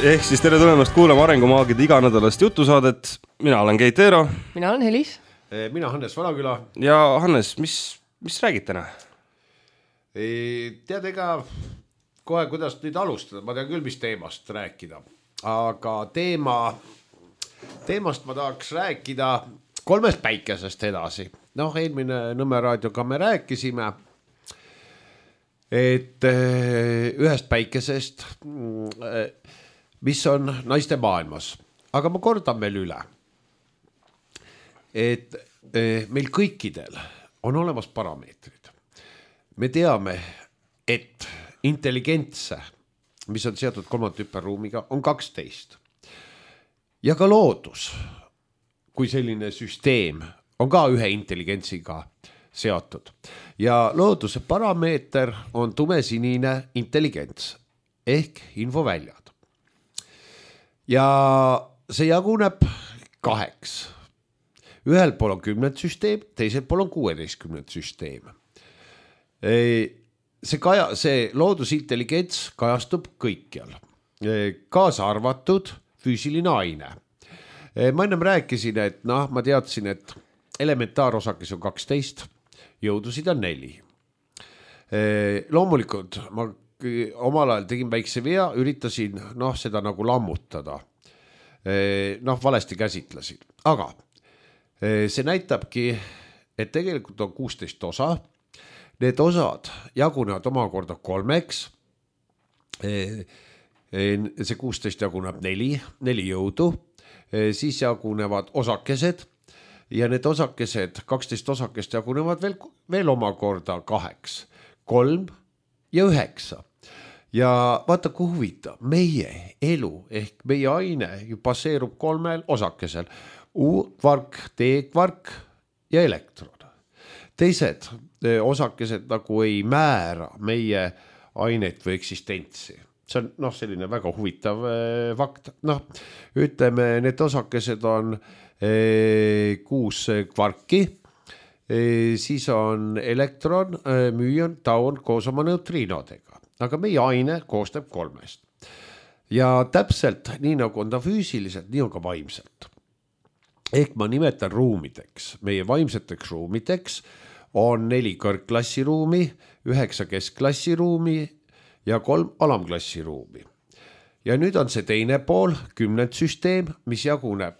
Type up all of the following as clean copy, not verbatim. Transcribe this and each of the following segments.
Ehk siis tere tulemast kuulama Arengumaagide iganädalast jutusaadet. Mina olen Keit Eero. Mina olen Helis. Mina Hannes Vanaküla. Ja Hannes, mis räägid täna? Tead ega kohe kuidas nüüd alustada, ma tean küll, mis teemast rääkida. Aga teemast ma tahaks rääkida 3 päikesest edasi. Eelmine Nõmme raadioga me rääkisime, et ühest päikesest, mis on naiste maailmas. Aga ma kordan veel üle, et meil kõikidel on olemas parameetrid. Me teame, et intelligentse, mis on seotud kolmandhüperruumiga, on 12. Ja ka loodus, kui selline süsteem, on ka ühe intelligentsiga seotud. Ja looduse parameeter on tumesinine intelligents ehk infoväljad. Ja see jaguneb 2. Ühel pool on 10 süsteem, teisel pool on 16 süsteem. See loodusintelligents kajastub kõikjal, kaasa arvatud füüsiline aine. Ma ennem rääkisin, et ma teadsin, et elementaarosakes on 12, jõudusid on 4. Loomulikult ma omal ajal tegin väikse vea, üritasin seda nagu lammutada. Valesti käsitlesin. Aga see näitabki, et tegelikult on 16 osa. Need osad jagunevad omakorda 3. See 16 jaguneb 4 jõudu. Siis jagunevad osakesed ja need osakesed, 12 osakest jagunevad veel omakorda 2, 3 ja 9. Ja vaata, kui huvitav, meie elu ehk meie aine ju baseerub 3 osakesel. U-kvark, D-kvark ja elektron. Teised osakesed nagu ei määra meie ainet või eksistentsi. See on selline väga huvitav fakt. Ütleme, need osakesed on 6 kvarki, siis on elektron, müün, taun koos oma neutriinodega. Aga meie aine koostab 3. Ja täpselt nii nagu on ta füüsiliselt, nii on ka vaimselt. Ehk ma nimetan ruumideks. Meie vaimseteks ruumideks on 4 kõrgklassiruumi, 9 keskklassiruumi ja 3 alamklassiruumi. Ja nüüd on see teine pool, 10 süsteem, mis jaguneb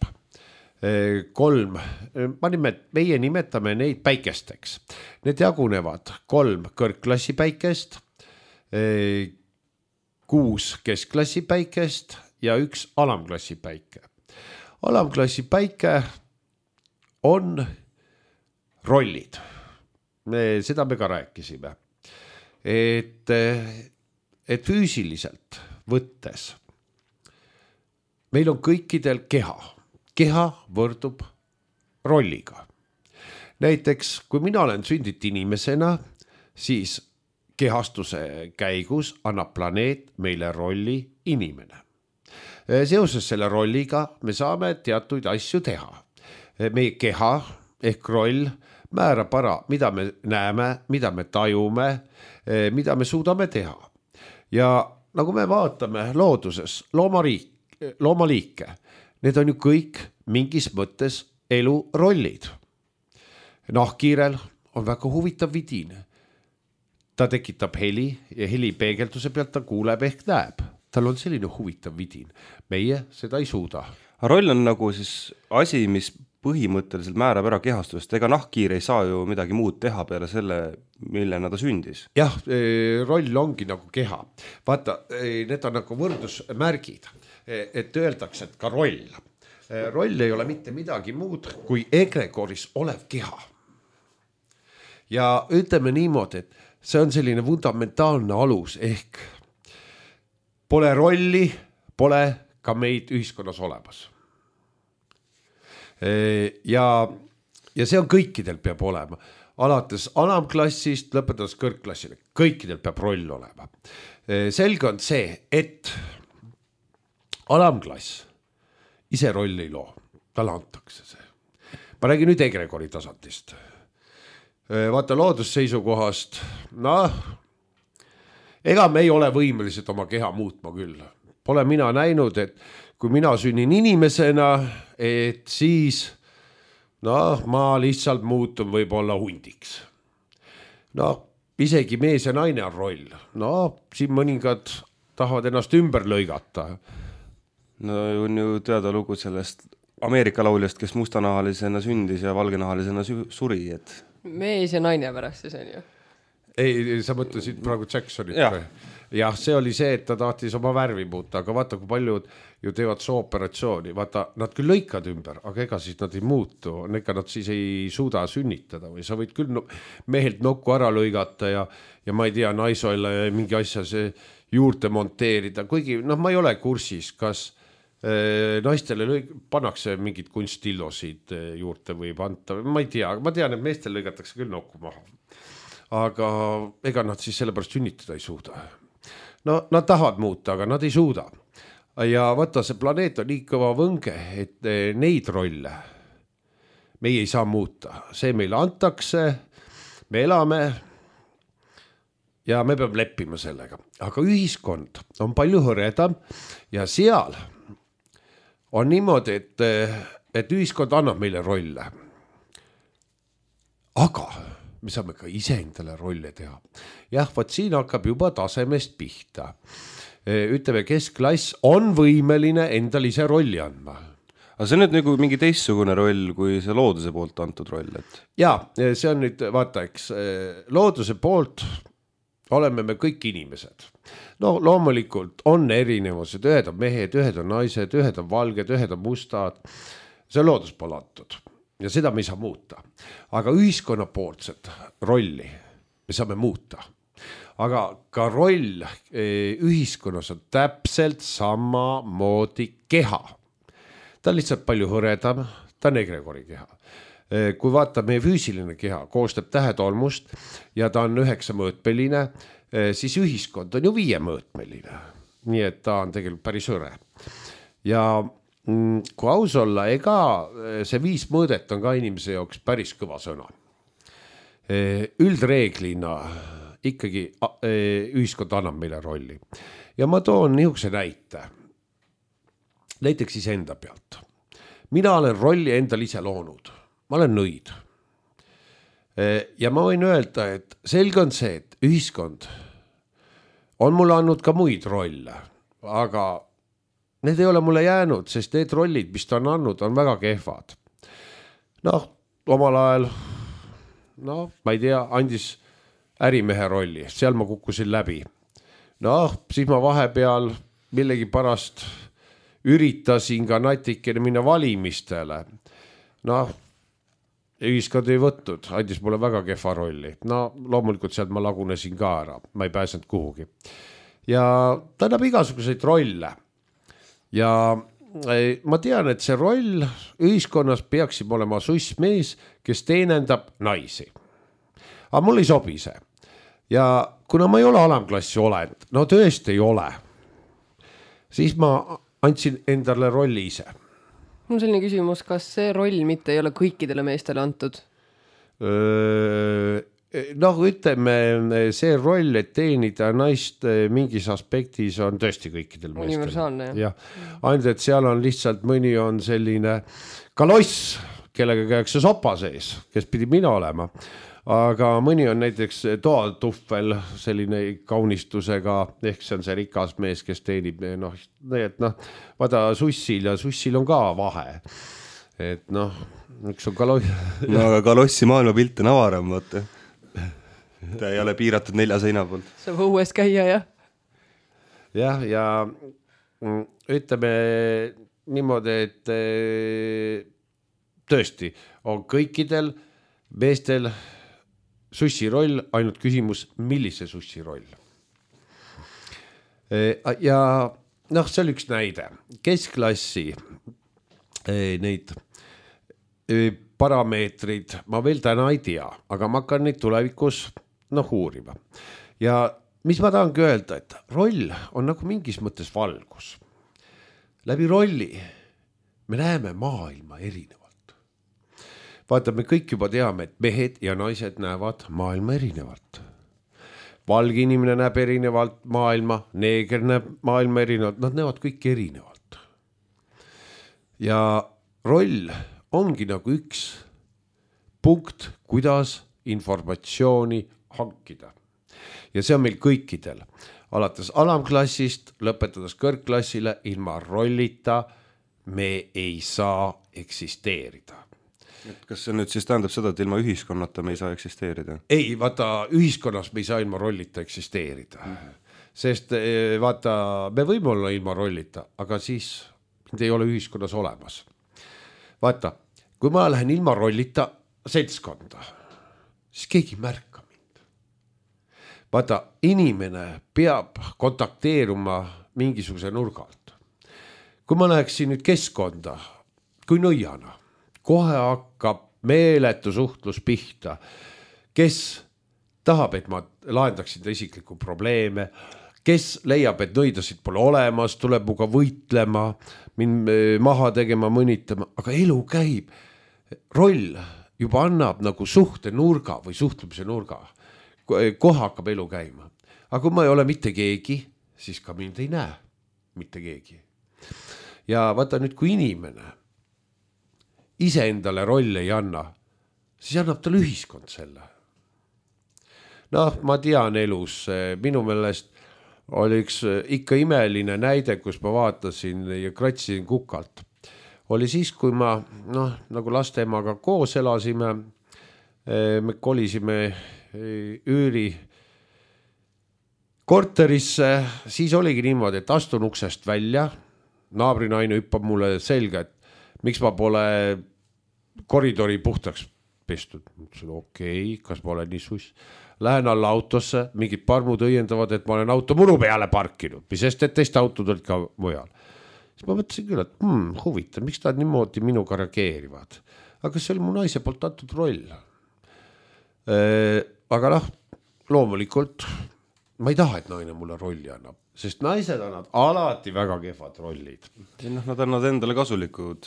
3, meie nimetame neid päikesteks. Need jagunevad 3 kõrgklassi päikest, 6 keskklassi päikest ja 1 alamklassi päike. Alamklassi päike on rollid. Seda me ka rääkisime. Et füüsiliselt võttes meil on kõikidel keha. Keha võrdub rolliga. Näiteks, kui mina olen sündinud inimesena, siis kehastuse käigus annab planeet meile rolli inimene. Seoses selle rolliga me saame teatuid asju teha. Meie keha ehk roll määrab ära, mida me näeme, mida me tajume, mida me suudame teha. Ja nagu me vaatame looduses, loomaliike, need on ju kõik mingis mõttes elurollid. Nahkhiirel on väga huvitav vidin. Ta tekitab heli ja heli peegelduse pealt ta kuuleb ehk näeb. Tal on selline huvitav vidin. Meie seda ei suuda. Roll on nagu siis asi, mis põhimõtteliselt määrab ära kehastust. Ega nahkhiir ei saa ju midagi muud teha peale selle, millena ta sündis. Jah, roll ongi nagu keha. Vaata, need on nagu võrdusmärgid, et öeldakse, et ka roll. Roll ei ole mitte midagi muud kui egregoris olev keha. Ja ütleme niimoodi, et see on selline fundamentaalne alus ehk pole rolli, pole ka meid ühiskonnas olemas. Ja see on kõikidel peab olema. Alates alamklassist, lõpetades kõrgklassile. Kõikidel peab roll olema. Selge on see, et alamklass ise rolli ei loo. Talle antakse see. Ma räägin nüüd egregori tasandist. Vaata loodusseisukohast, ega me ei ole võimelised oma keha muutma küll. pole mina näinud, et kui mina sünnin inimesena, et siis ma lihtsalt muutun võib-olla hundiks. Isegi mees ja naine on roll. Siin mõningad tahavad ennast ümber lõigata. No on ju teada lugu sellest Ameerika lauljast, kes mustanahalisena sündis ja valgenahalisena suri, et... Mees ja naine pärast siis on ju. Ei, sa mõtlesid praegu Jacksonit. Jah, see oli see, et ta tahtis oma värvi muuta, aga vaata, kui paljud ju teevad sooperatsiooni. Vaata, nad küll lõikad ümber, aga ega siis nad ei muutu. Ega nad siis ei suuda sünnitada või sa võid küll mehelt nokku ära lõigata ja ma ei tea, naisoilla ja mingi asja see juurde monteerida. Kuigi, ma ei ole kursis, kas naistele pannakse mingid kunstillosid juurde või panta. Ma ei tea, ma tean, et meestel lõigatakse küll nokku maha. Aga ega nad siis sellepärast sünnitada ei suuda. Nad tahavad muuta, aga nad ei suuda. Ja vaata, see planeet on nii kõva võnge, et neid rolle meie ei saa muuta. See meile antakse, me elame ja me peame leppima sellega. Aga ühiskond on palju hõredam ja seal on niimoodi, et ühiskond annab meile rolle. Aga me saame ka ise endale rolle teha. Jah, võt siin hakkab juba tasemest pihta. Ütleme, keskklass on võimeline endal ise rolli andma. Aga see on nüüd nagu mingi teistsugune roll kui see looduse poolt antud roll, et... Jaa, see on nüüd, vaata, eks, looduse poolt oleme me kõik inimesed. Loomulikult on erinevused, ühed on mehed, ühed on naised, ühed on valged, ühed on mustad. See on loodus pole antud. Ja seda me ei saa muuta. Aga ühiskonna poolset rolli me saame muuta. Aga ka roll ühiskonnas on täpselt sama moodi keha. Ta on lihtsalt palju hõredam, ta on egregori keha. Kui vaata, meie füüsiline keha koostab tähetolmust ja ta on 9-mõõtmeline, siis ühiskond on ju 5-mõõtmeline. Nii et ta on tegelikult päris hõre. Ja kui aus olla, ega see 5 mõõdet on ka inimese jaoks päris kõva sõna. Üldreeglina ikkagi ühiskond annab meile rolli. Ja ma toon niisuguse näite. Näiteks ise enda pealt. Mina olen rolli endal ise loonud. Ma olen nõid. Ja ma võin öelda, et selge on see, et ühiskond on mulle andnud ka muid rolle, aga need ei ole mulle jäänud, sest need rollid, mis ta on andnud, on väga kehvad. Omal ajal, ma ei tea, andis ärimehe rolli, seal ma kukkusin läbi. Siis ma vahepeal millegi pärast üritasin ka natikene minna valimistele. Ühiskond ei võtnud, andis mulle väga kehva rolli. Loomulikult sealt ma lagunesin ka ära, ma ei pääsenud kuhugi. Ja ta annab igasuguseid rolle. Ja ma tean, et see roll ühiskonnas peaksib olema sussmees, kes teenendab naisi. Aga mul ei sobi see. Ja kuna ma ei ole alamklassi olend, tõesti ei ole, siis ma andsin endale rolli ise. Mul selline küsimus, kas see roll mitte ei ole kõikidele meestele antud? Ütleme, see roll, et teenida naist mingis aspektis on tõesti kõikidel meestel. Universaalne, jah. Ainult, et seal on lihtsalt mõni on selline kaloss, kellega käiakse sopa sees, kes pidi mina olema. Aga mõni on näiteks toaltuffel selline kaunistusega, ehk see on see rikas mees, kes teenib, vaata sussil ja sussil on ka vahe. Et üks on kaloss. Aga kalossi maailmapilt on avaram, vaata. Ta ei ole piiratud 4 seina poolt. Saab õues käia, jah? Jah, ja ütleme niimoodi, et tõesti on kõikidel meestel sussi roll, ainult küsimus, millise sussi roll. Ja see oli üks näide. Keskklassi neid parameetrid ma veel täna ei tea, aga ma hakkan neid tulevikus uurima. Ja mis ma tahangi öelda, et roll on nagu mingis mõttes valgus. Läbi rolli me näeme maailma erinevalt. Vaata, me kõik juba teame, et mehed ja naised näevad maailma erinevalt. valge inimene näeb erinevalt maailma, neeger näeb maailma erinevalt, nad näevad kõik erinevalt. Ja roll ongi nagu üks punkt, kuidas informatsiooni hankida. Ja see on meil kõikidel, alates alamklassist, lõpetades kõrgklassile, ilma rollita me ei saa eksisteerida. Et kas see nüüd siis tähendab seda, et ilma ühiskonnata me ei saa eksisteerida? Ei, vaata, ühiskonnas me ei saa ilma rollita eksisteerida. Sest vaata, me võime olla ilma rollita, aga siis mind ei ole ühiskonnas olemas. Vaata, kui ma lähen ilma rollita seltskonda, siis keegi ei märka mind. Vaata, inimene peab kontakteeruma mingisuguse nurgalt. Kui ma läheksin nüüd keskkonda, kui nõiana, kohe hakkab meeletu suhtlus pihta, kes tahab, et ma lahendaksin ta isiklikku probleeme, kes leiab, et nõidasid pole olemas, tuleb muga võitlema, mind maha tegema, mõnitama, aga elu käib. Roll juba annab nagu suhte nurga või suhtlemise nurga. Kohe hakkab elu käima. Aga kui ma ei ole mitte keegi, siis ka mind ei näe mitte keegi. Ja vaata nüüd, kui inimene ise endale roll ei anna, siis annab tal ühiskond selle. Noh, ma tean elus, minu meelest oli üks ikka imeline näide, kus ma vaatasin ja kratsisin kukalt. Oli siis, kui ma nagu lastemaga koos elasime, me kolisime üüri korterisse, siis oligi niimoodi, et astun uksest välja, naabrinaine hüppab mulle selga, et miks ma pole koridori puhtaks pestud. Mõtlesin, okei, kas ma olen nii suss. Lähen alla autosse, mingid parmud õiendavad, et ma olen auto muru peale parkinud, mis sest, et teist autod olid ka mujal. Siis ma mõtlesin küll, et huvitav, miks ta niimoodi minuga reageerivad. Aga see oli mu naise poolt antud roll. Aga loomulikult ma ei taha, et naine mulle rolli annab, sest naised annavad alati väga kehvad rollid. Nad annavad endale kasulikud.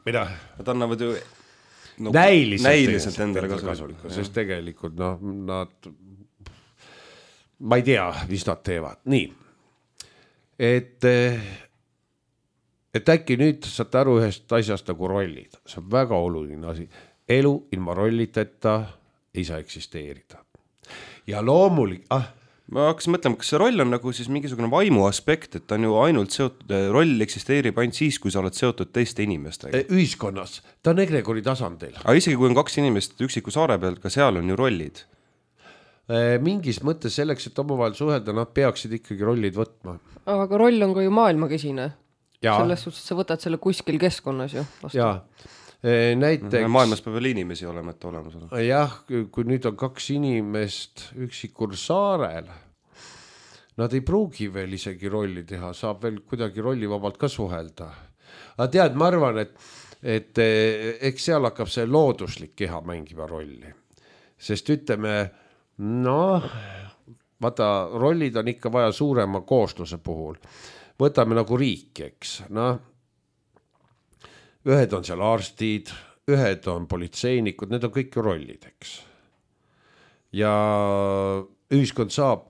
Mida? Nad annavad ju näiliselt endale kasulikud, sest tegelikult nad, ma ei tea, mis nad teevad. Nii, et äkki nüüd saate aru ühest asjast nagu rollid. See on väga oluline asi. Elu ilma rolliteta ei saa eksisteerida. Ja loomulik... Ma hakkasin mõtlema, kas see roll on nagu siis mingisugune vaimu aspekt, et ta on ju ainult seotud, roll eksisteerib ainult siis, kui sa oled seotud teiste inimestega. Ühiskonnas, ta on egregori tasandil. Aga isegi kui on 2 inimest üksiku saare pealt, ka seal on ju rollid. Mingis mõttes selleks, et omavahel suhelda, nad peaksid ikkagi rollid võtma. Aga roll on ka ju maailmakesine. Ja. Selles suhtes sa võtad selle kuskil keskkonnas ju. Jaa. Näiteks... Maailmas peab veel inimesi olema, et olemas ole. Jah, kui nüüd on 2 inimest üksikul saarel, nad ei pruugi veel isegi rolli teha, saab veel kuidagi rollivabalt ka suhelda. Aga tead, ma arvan, et eks seal hakkab see looduslik keha mängima rolli. Sest ütleme, vaata, rollid on ikka vaja suurema koosluse puhul. Võtame nagu riik, eks, ühed on seal arstid, ühed on politseinikud, need on kõik rollid, eks. Ja ühiskond saab,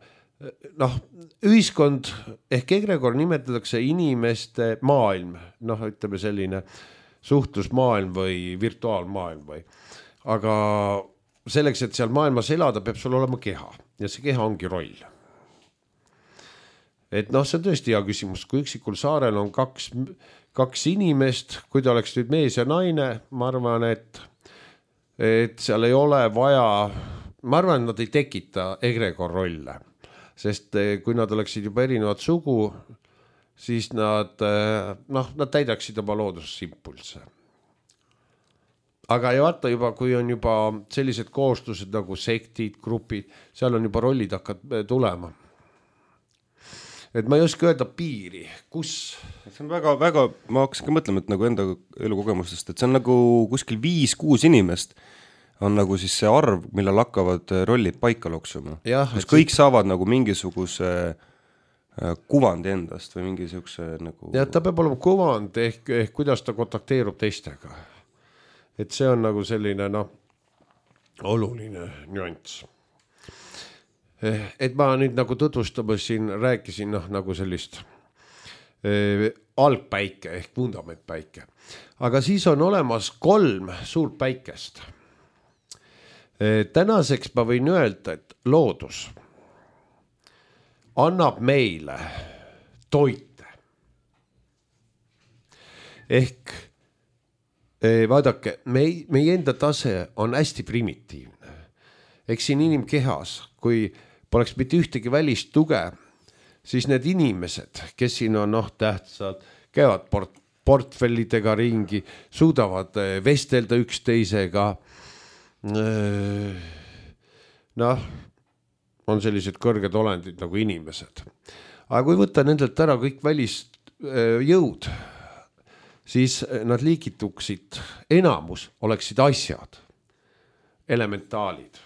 ühiskond ehk egregor nimetatakse inimeste maailm, ütleme selline suhtlusmaailm või virtuaalmaailm või. Aga selleks, et seal maailmas elada, peab sul olema keha ja see keha ongi roll. Et see on tõesti hea küsimus, kui üksikul saarel on 2 inimest, kui ta oleks nüüd mees ja naine, ma arvan, et seal ei ole vaja, ma arvan, et nad ei tekita egregor rolle, sest kui nad oleksid juba erinevad sugu, siis nad täidaksid oma loodusimpulse. Aga ja vaata juba, kui on juba sellised kooslused nagu sektid, grupid, seal on juba rollid hakkad tulema. Et ma ei oska öelda piiri, kus? See on väga, ma hakkasin ka mõtlema, et nagu enda elukogemustest, et see on nagu kuskil 5-6 inimest on nagu siis see arv, millal hakkavad rollid paika loksuma. Kus kõik saavad nagu mingisuguse kuvandi endast või mingisuguse nagu... Ja ta peab olema kuvand ehk kuidas ta kontakteerub teistega. Et see on nagu selline oluline nüanss. et ma nüüd nagu tutvustamas siin rääkisin nagu sellist algpäike ehk fundamentpäike. Aga siis on olemas 3 suurt päikest. Tänaseks ma võin öelda, et loodus annab meile toite. Ehk vaadake, meie enda tase on hästi primitiivne. Eks siin inimkehas, kui poleks mitte ühtegi välist tuge, siis need inimesed, kes siin on tähtsad, käivad portfellidega ringi, suudavad vestelda üksteisega. On sellised kõrged olendid nagu inimesed. Aga kui võtta nendelt ära kõik välist jõud, siis nad liigituksid, enamus oleksid asjad, elementaalid,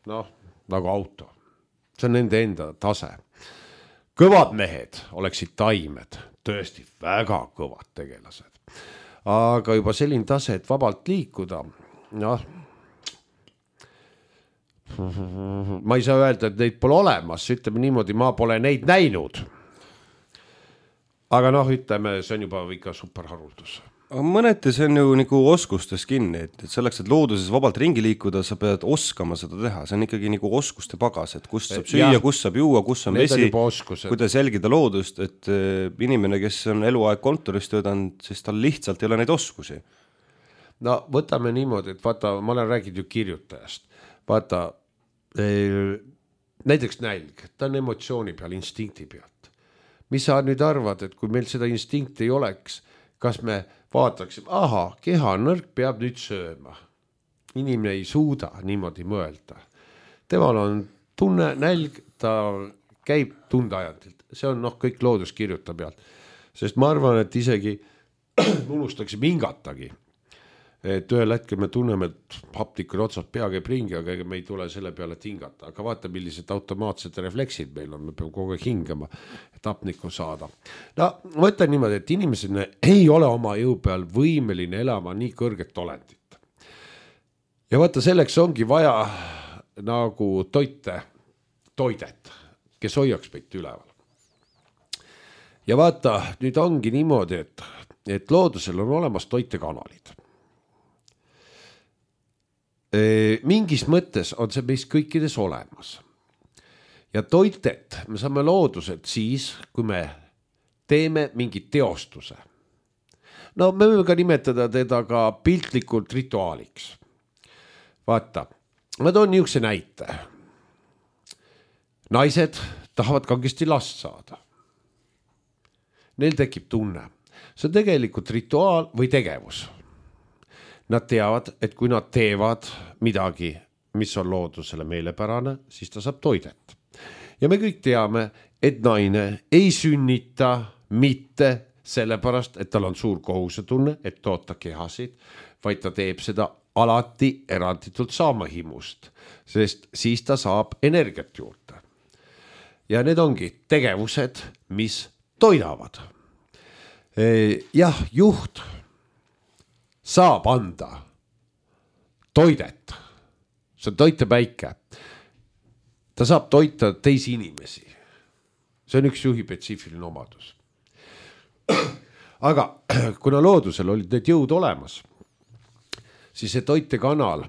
nagu auto. See on nende enda tase. Kõvad mehed oleksid taimed, tõesti väga kõvad tegelased. Aga juba selline tase, et vabalt liikuda, ma ei saa öelda, et neid pole olemas, ütleme niimoodi, ma pole neid näinud. Aga ütleme, see on juba ikka superharuldus. Aga mõneti see on ju nagu oskustes kinni, et selleks, et looduses vabalt ringi liikuda, sa pead oskama seda teha. See on ikkagi nagu oskuste pagas, et kust saab süüa, kust saab juua, kus on vesi, kuidas jälgida loodust, et inimene, kes on eluaeg kontoris töötanud, siis tal lihtsalt ei ole neid oskusi. No võtame niimoodi, et vaata, ma olen rääginud ju kirjutajast. Vaata, näiteks nälg, ta on emotsiooni peal, instinkti pealt. Mis sa nüüd arvad, et kui meil seda instinkti ei oleks, kas me vaataksime, keha nõrk peab nüüd sööma. Inimene ei suuda niimoodi mõelda. Temal on tunne, nälg, ta käib tundeajandilt. See on kõik loodus kirjuta pealt. Sest ma arvan, et isegi unustaksime hingatagi. Et ühel hetkel me tunneme, et hapnikul otsad pea käib ringi, aga me ei tule selle peale tingata. Aga vaata, millised automaatsed refleksid meil on, me peame kogu aeg hingama, et hapnikku saada. Ma ütlen niimoodi, et inimesed ei ole oma jõu peal võimeline elama nii kõrget olendit. Ja vaata, selleks ongi vaja nagu toidet, kes hoiaks meid üleval. Ja vaata, nüüd ongi niimoodi, et loodusel on olemas toitekanalid. Mingis mõttes on see meist kõikides olemas. Ja toitet me saame looduselt siis, kui me teeme mingit teostuse. Me võime ka nimetada teda ka piltlikult rituaaliks. Vaata, ma toon niisuguse näite. Naised tahavad kangesti last saada. Neil tekib tunne. See on tegelikult rituaal või tegevus. Nad teavad, et kui nad teevad midagi, mis on loodusele meelepärane, siis ta saab toidet. Ja me kõik teame, et naine ei sünnita mitte sellepärast, et tal on suur kohusetunne, et toota kehasid, vaid ta teeb seda alati eranditult saamahimust, sest siis ta saab energiat juurde. Ja need ongi tegevused, mis toidavad. Jah, juht saab anda toidet. See on toitepäike. Ta saab toita teisi inimesi. See on üks juhi spetsiifiline omadus. Aga kuna loodusel olid need jõud olemas, siis see toitekanal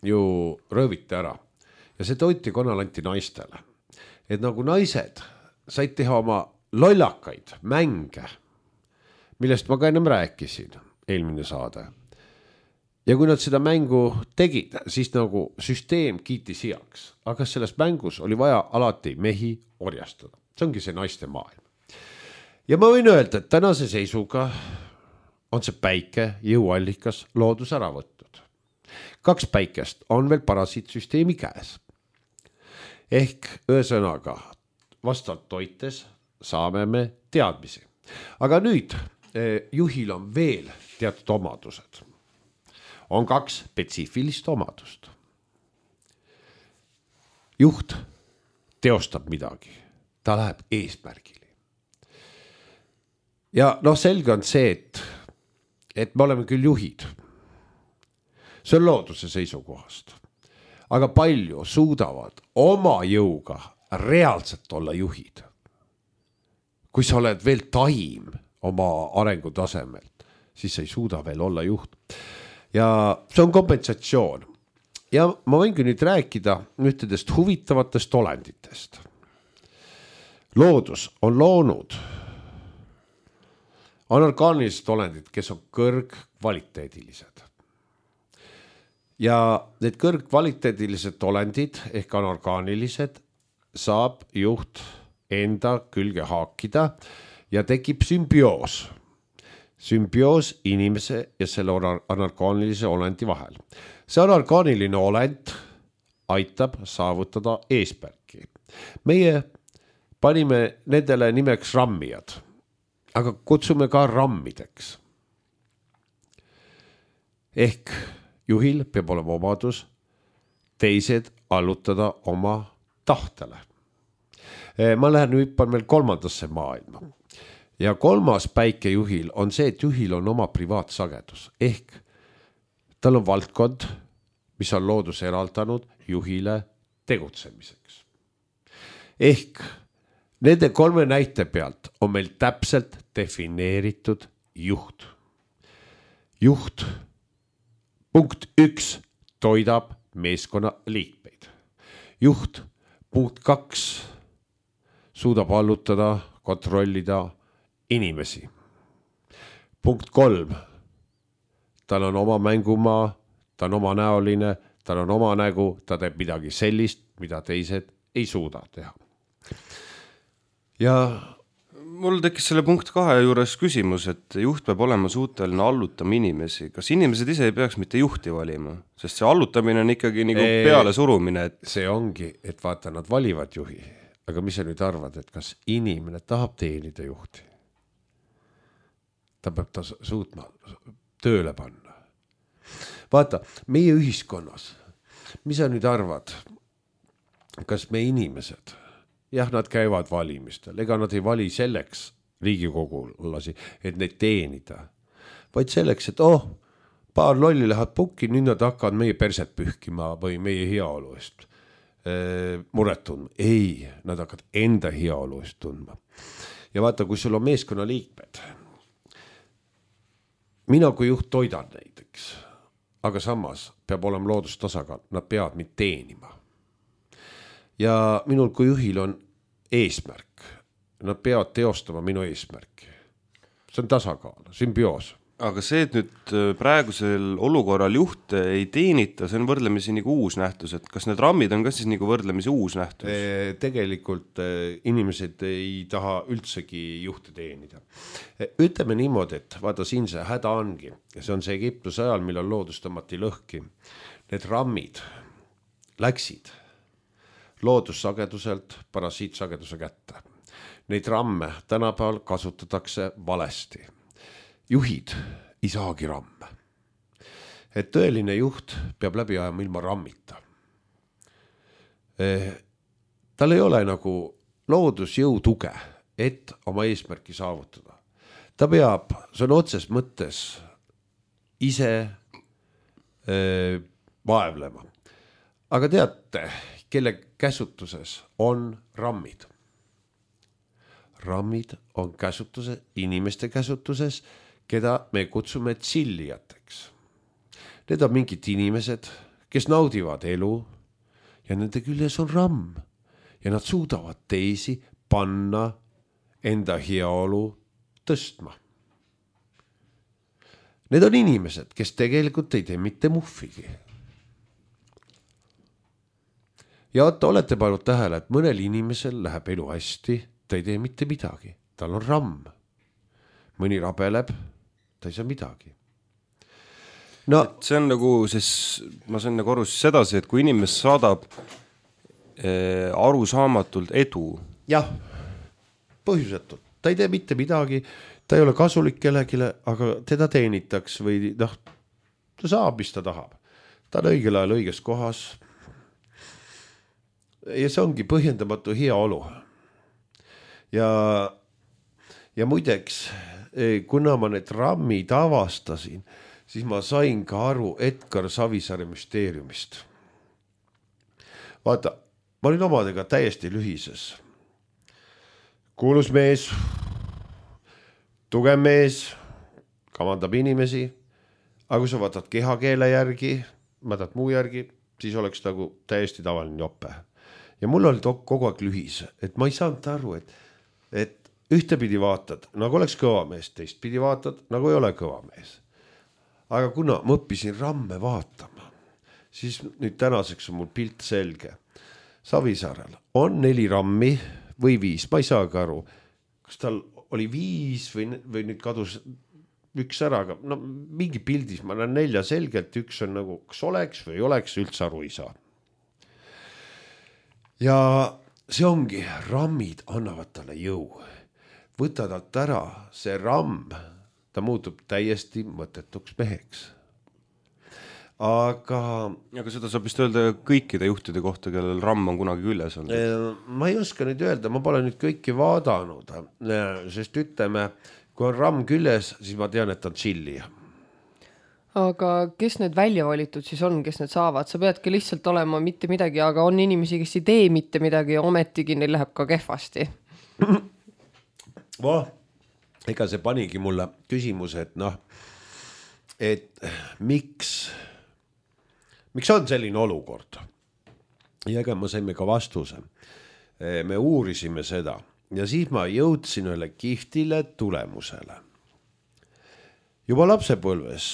ju rööviti ära. Ja see toitekanal anti naistele. Et nagu naised said teha oma lollakaid mänge, millest ma ka ennem rääkisin, eelmine saade. Ja kui nad seda mängu tegid, siis nagu süsteem kiitis heaks. Aga selles mängus oli vaja alati mehi orjastada. See ongi see naiste maailm. Ja ma võin öelda, et tänase seisuga on see päike jõuallikas loodus ära võtnud. 2 päikest on veel parasiitsüsteemi käes. Ehk ühesõnaga, vastavalt toites saame me teadmisi. Aga nüüd juhil on veel teatud omadused. On 2 spetsiifilist omadust. Juht teostab midagi. Ta läheb eesmärgile. Ja selge on see, et me oleme küll juhid. See on looduse seisukohast. Aga palju suudavad oma jõuga reaalselt olla juhid. Kui sa oled veel taim oma arengutasemelt, siis sa ei suuda veel olla juht. Ja see on kompensatsioon. Ja ma võingi nüüd rääkida ühtedest huvitavatest olenditest. Loodus on loonud anorgaanilised olendid, kes on kõrgkvaliteedilised. Ja need kõrgkvaliteedilised olendid ehk anorgaanilised saab juht enda külge haakida ja tekib sümbioos. Sümbioos inimese ja selle anorgaanilise olendi vahel. See anorgaaniline olend aitab saavutada eesmärki. Meie panime nendele nimeks rammijad, aga kutsume ka rammideks. Ehk juhil peab olema omadus teised allutada oma tahtele. Ma lähen hüppan veel 3. maailma. Ja 3. päikejuhil on see, et juhil on oma privaatsagedus. Ehk tal on valdkond, mis on loodus eraldanud juhile tegutsemiseks. Ehk nende 3 näite pealt on meil täpselt defineeritud juht. Juht, punkt 1, toidab meeskonna liikmeid. Juht, punkt 2, suudab allutada, kontrollida inimesi. Punkt 3, tal on oma mängumaa, ta on oma näoline, tal on oma nägu, ta teeb midagi sellist, mida teised ei suuda teha. Ja mul tekkis selle punkt 2 juures küsimus, et juht peab olema suuteline allutama inimesi. Kas inimesed ise ei peaks mitte juhti valima? Sest see allutamine on ikkagi nagu peale surumine. Et... See ongi, et vaata, nad valivad juhi. Aga mis sa nüüd arvad, et kas inimene tahab teenida juhti? Ta peab ta suutma tööle panna. Vaata, meie ühiskonnas, mis sa nüüd arvad, kas me inimesed... Jah, nad käivad valimistel, ega nad ei vali selleks riigikogulasi, et neid teenida, vaid selleks, et paar lolli lähevad pukki, nüüd nad hakkavad meie perset pühkima või meie heaolu eest muret tundma. Ei, nad hakkavad enda heaolu eest tundma. Ja vaata, kui sul on meeskonna liikmed, mina kui juht toidan näiteks, aga samas peab olema loodustasakaal, nad peavad mind teenima. Ja minul kui juhil on eesmärk. Nad peavad teostama minu eesmärki. See on tasakaal, sümbioos. Aga see, et nüüd praegusel olukorral juht ei teenita, see on võrdlemisi nagu uus nähtus. Et kas need rammid on ka siis nagu võrdlemisi uus nähtus? Tegelikult inimesed ei taha üldsegi juhte teenida. Ütleme niimoodi, et vaata siin see häda ongi. Ja see on see Egiptuse ajal, millal loodus tõmmati lõhki. Need rammid läksid loodusageduselt parasiitsageduse kätte. Neid ramme tänapäeval kasutatakse valesti. Juhid ei saagi ramme. Et tõeline juht peab läbi ajama ilma rammita. Tal ei ole nagu loodusjõu tuge, et oma eesmärki saavutada. Ta peab, see on otses mõttes, ise vaevlema. Aga teate, kelle käsutuses on rammid. Rammid on käsutuses, inimeste käsutuses, keda me kutsume tsillijateks. Need on mingid inimesed, kes naudivad elu ja nende küljes on ramm ja nad suudavad teisi panna enda heaolu tõstma. Need on inimesed, kes tegelikult ei tee mitte muhvigi. Ja olete pannud tähele, et mõnel inimesel läheb elu hästi, ta ei tee mitte midagi. Tal on ramm. Mõni rabeleb, ta ei saa midagi. No, see on nagu, siis, ma sain nagu aru sedasi, et kui inimest saadab arusaamatult edu. Jah, põhjusetult. Ta ei tee mitte midagi, ta ei ole kasulik kellegile, aga teda teenitaks või ta saab, mis ta tahab. Ta on õigel ajal õiges kohas. Ja see ongi põhjendamatu hea olu. Ja muideks, kuna ma need rammid avastasin, siis ma sain ka aru Edgar Savisaare müsteeriumist. Vaata, ma olin omadega täiesti lühises. Kuulus mees, tugev mees, kavandab inimesi, aga kui sa vaatad kehakeele järgi, vaatad muu järgi, siis oleks nagu täiesti tavaline jope. Ja mul oli kogu aeg lühis, et ma ei saanud aru, et ühtepidi vaatad, nagu oleks kõva mees, teistpidi vaatad, nagu ei ole kõva mees. Aga kuna ma õppisin ramme vaatama, siis nüüd tänaseks on mul pilt selge. Savisaarel on 4 rammi või 5, ma ei saagi aru, kas tal oli 5 või nüüd kadus üks ära, aga no mingi pildis ma näen 4 selgelt, üks on nagu, kas oleks või ei oleks, üldse aru ei saa. Ja see ongi, rammid annavad talle jõu. Võta talt ära see ramm, ta muutub täiesti mõttetuks meheks. Aga seda saab vist öelda kõikide juhtide kohta, kellel ramm on kunagi küljes olnud. Ma ei oska nüüd öelda, ma pole nüüd kõiki vaadanud, sest ütleme, kui on ramm küljes, siis ma tean, et on chilli. Aga kes need välja valitud siis on, kes need saavad? Sa peadki lihtsalt olema mitte midagi, aga on inimesi, kes ei tee mitte midagi ja ometigi neil läheb ka kehvasti. Ega see panigi mulle küsimuse, et miks on selline olukord? Ja ega ma saime ka vastuse. Me uurisime seda ja siis ma jõudsin ühele kihtile tulemusele. Juba lapsepõlves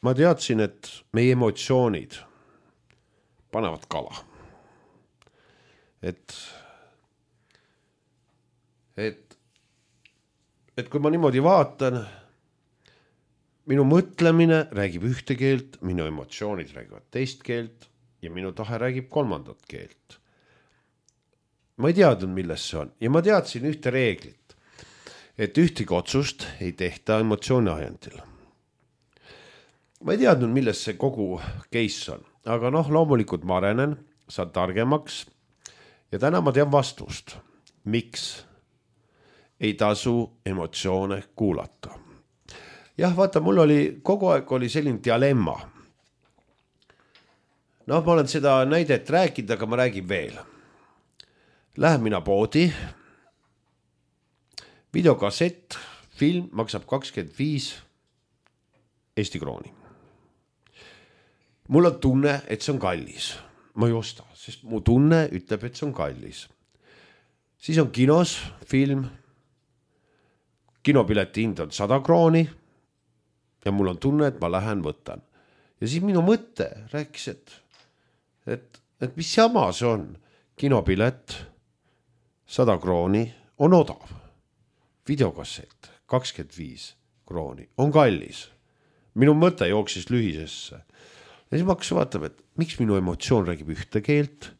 ma teadsin, et meie emotsioonid panevad kala. Et kui ma niimoodi vaatan, minu mõtlemine räägib ühte keelt, minu emotsioonid räägivad teist keelt ja minu tahe räägib kolmandat keelt. Ma ei teadnud, milles see on. Ja ma teadsin ühte reeglit, et ühtegi otsust ei tehta emotsiooni ajendil. Ma ei teadnud, milles see kogu case on, aga loomulikult ma arenen, saan targemaks ja täna ma tean vastust, miks ei tasu emotsioone kuulata. Jah, vaata, mul oli kogu aeg oli selline dilemma. Ma olen seda näidet rääkinud, aga ma räägin veel. Lähen mina poodi, videokassett, film maksab 25 Eesti krooni. Mul on tunne, et see on kallis. Ma ei osta, sest mu tunne ütleb, et see on kallis. Siis on kinos film, kinopileti hind on 100 krooni ja mul on tunne, et ma lähen võtan. Ja siis minu mõte rääkis, et mis jama see on. Kinopilet 100 krooni on odav. Videokassett 25 krooni on kallis. Minu mõte jooksis lühisesse. Ja siis ma hakkasin vaatama, et miks minu emotsioon räägib ühte keelt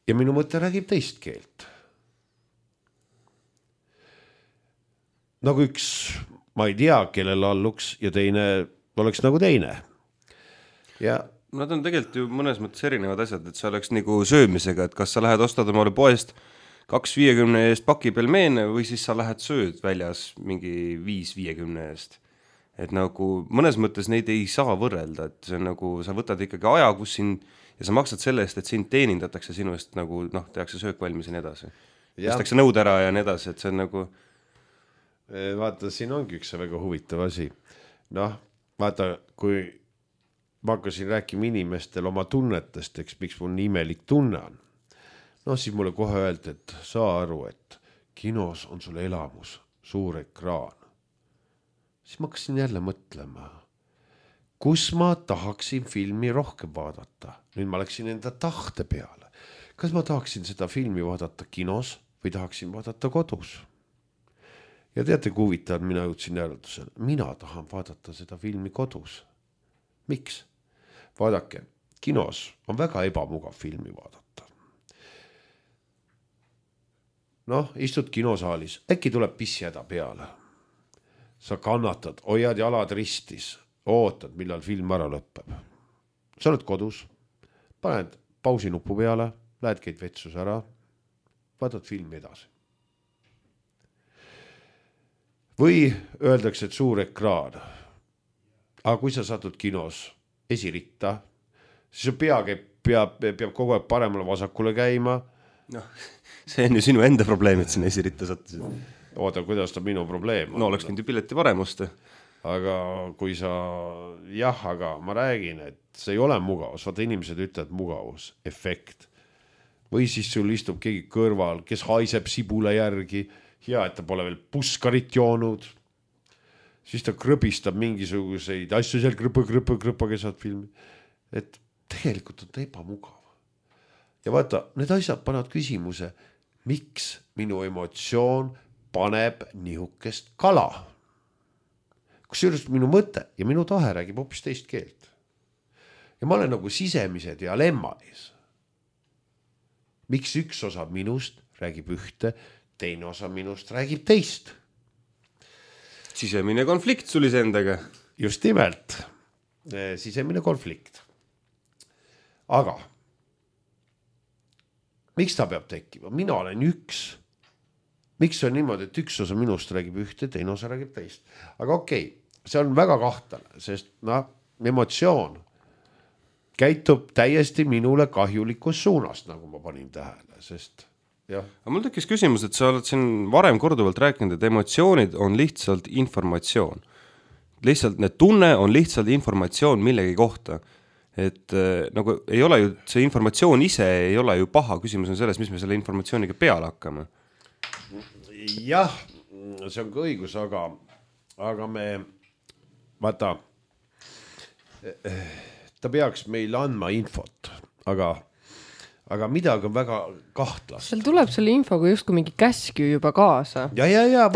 ja minu mõte räägib teist keelt. Nagu üks, ma ei tea, kellel alluks ja teine oleks nagu teine. Ja nad on tegelikult ju mõnes mõttes erinevad asjad, et see oleks nagu söömisega, et kas sa lähed ostad omale poest 2,50 eest paki pelmeene või siis sa lähed sööd väljas mingi 5,50 eest. Et nagu mõnes mõttes neid ei saa võrrelda, et see on nagu, sa võtad ikkagi aja, kus sind, ja sa maksad selle eest, et sind teenindatakse sinu eest nagu, tehakse söök valmis ja nii edasi. Tõstakse nõud ära ja nii edasi, et see on nagu vaata, siin ongi üks väga huvitav asi. Vaata, kui ma hakkasin rääkima inimestel oma tunnetest, miks mul nii imelik tunne on. Siis mulle kohe öeldi, et saa aru, et kinos on sul elamus, suur ekraan. Siis ma hakkasin jälle mõtlema, kus ma tahaksin filmi rohkem vaadata. Nüüd ma läksin enda tahte peale. Kas ma tahaksin seda filmi vaadata kinos või tahaksin vaadata kodus? Ja teate, kui huvitav, mina jõudsin järeldusele. Mina tahan vaadata seda filmi kodus. Miks? Vaadake, kinos on väga ebamugav filmi vaadata. Istud kinosaalis, äkki tuleb pissjäda peale. Sa kannatad, hoiad jalad ristis, ootad, millal film ära lõpeb. Sa oled kodus, paned pausi nupu peale, lähed käid vetsus ära, vaatad filmi edasi. Või öeldakse, et suur ekraan. Aga kui sa satud kinos esiritta, siis su pea käib peab kogu aeg paremale vasakule käima. Noh, see on ju sinu enda probleem, et sinna esiritta sattusid. Oota, kuidas ta minu probleem on? No oleks võinud ju pileti paremust. Aga kui sa, aga ma räägin, et see ei ole mugavus. Vaata, inimesed ütlevad mugavus, efekt. Või siis sul istub keegi kõrval, kes haiseb sibule järgi. Hea, et ta pole veel puskarit joonud. Siis ta krõbistab mingisuguseid asju seal krõpa keset filmi. Et tegelikult on ta ebamugav. Ja vaata, need asjad panevad küsimuse, miks minu emotsioon paneb nihukest kala? Kusjuures minu mõte ja minu tahe räägib hoopis teist keelt. Ja ma olen nagu sisemise dilemma ees. Miks üks osa minust räägib ühte, teine osa minust räägib teist? Sisemine konflikt sul iseendaga. Just nimelt. Sisemine konflikt. Aga miks ta peab tekkima? Mina olen üks. Miks on niimoodi, et üks osa minust räägib ühte, teine osa räägib teist? Aga okei, see on väga kahtlane, sest emotsioon käitub täiesti minule kahjulikus suunast, nagu ma panin tähele, sest jah. Aga mul tekkis küsimus, et sa oled siin varem korduvalt rääkinud, et emotsioonid on lihtsalt informatsioon. Lihtsalt need tunne on lihtsalt informatsioon millegi kohta. Et nagu ei ole ju, see informatsioon ise ei ole ju paha, küsimus on selles, mis me selle informatsiooniga peale hakkame. Jah, see on ka õigus, aga me vaata, ta peaks meile andma infot, aga midagi on väga kahtlast. Seal tuleb selle infoga justkui mingi käskju juba kaasa. Ja,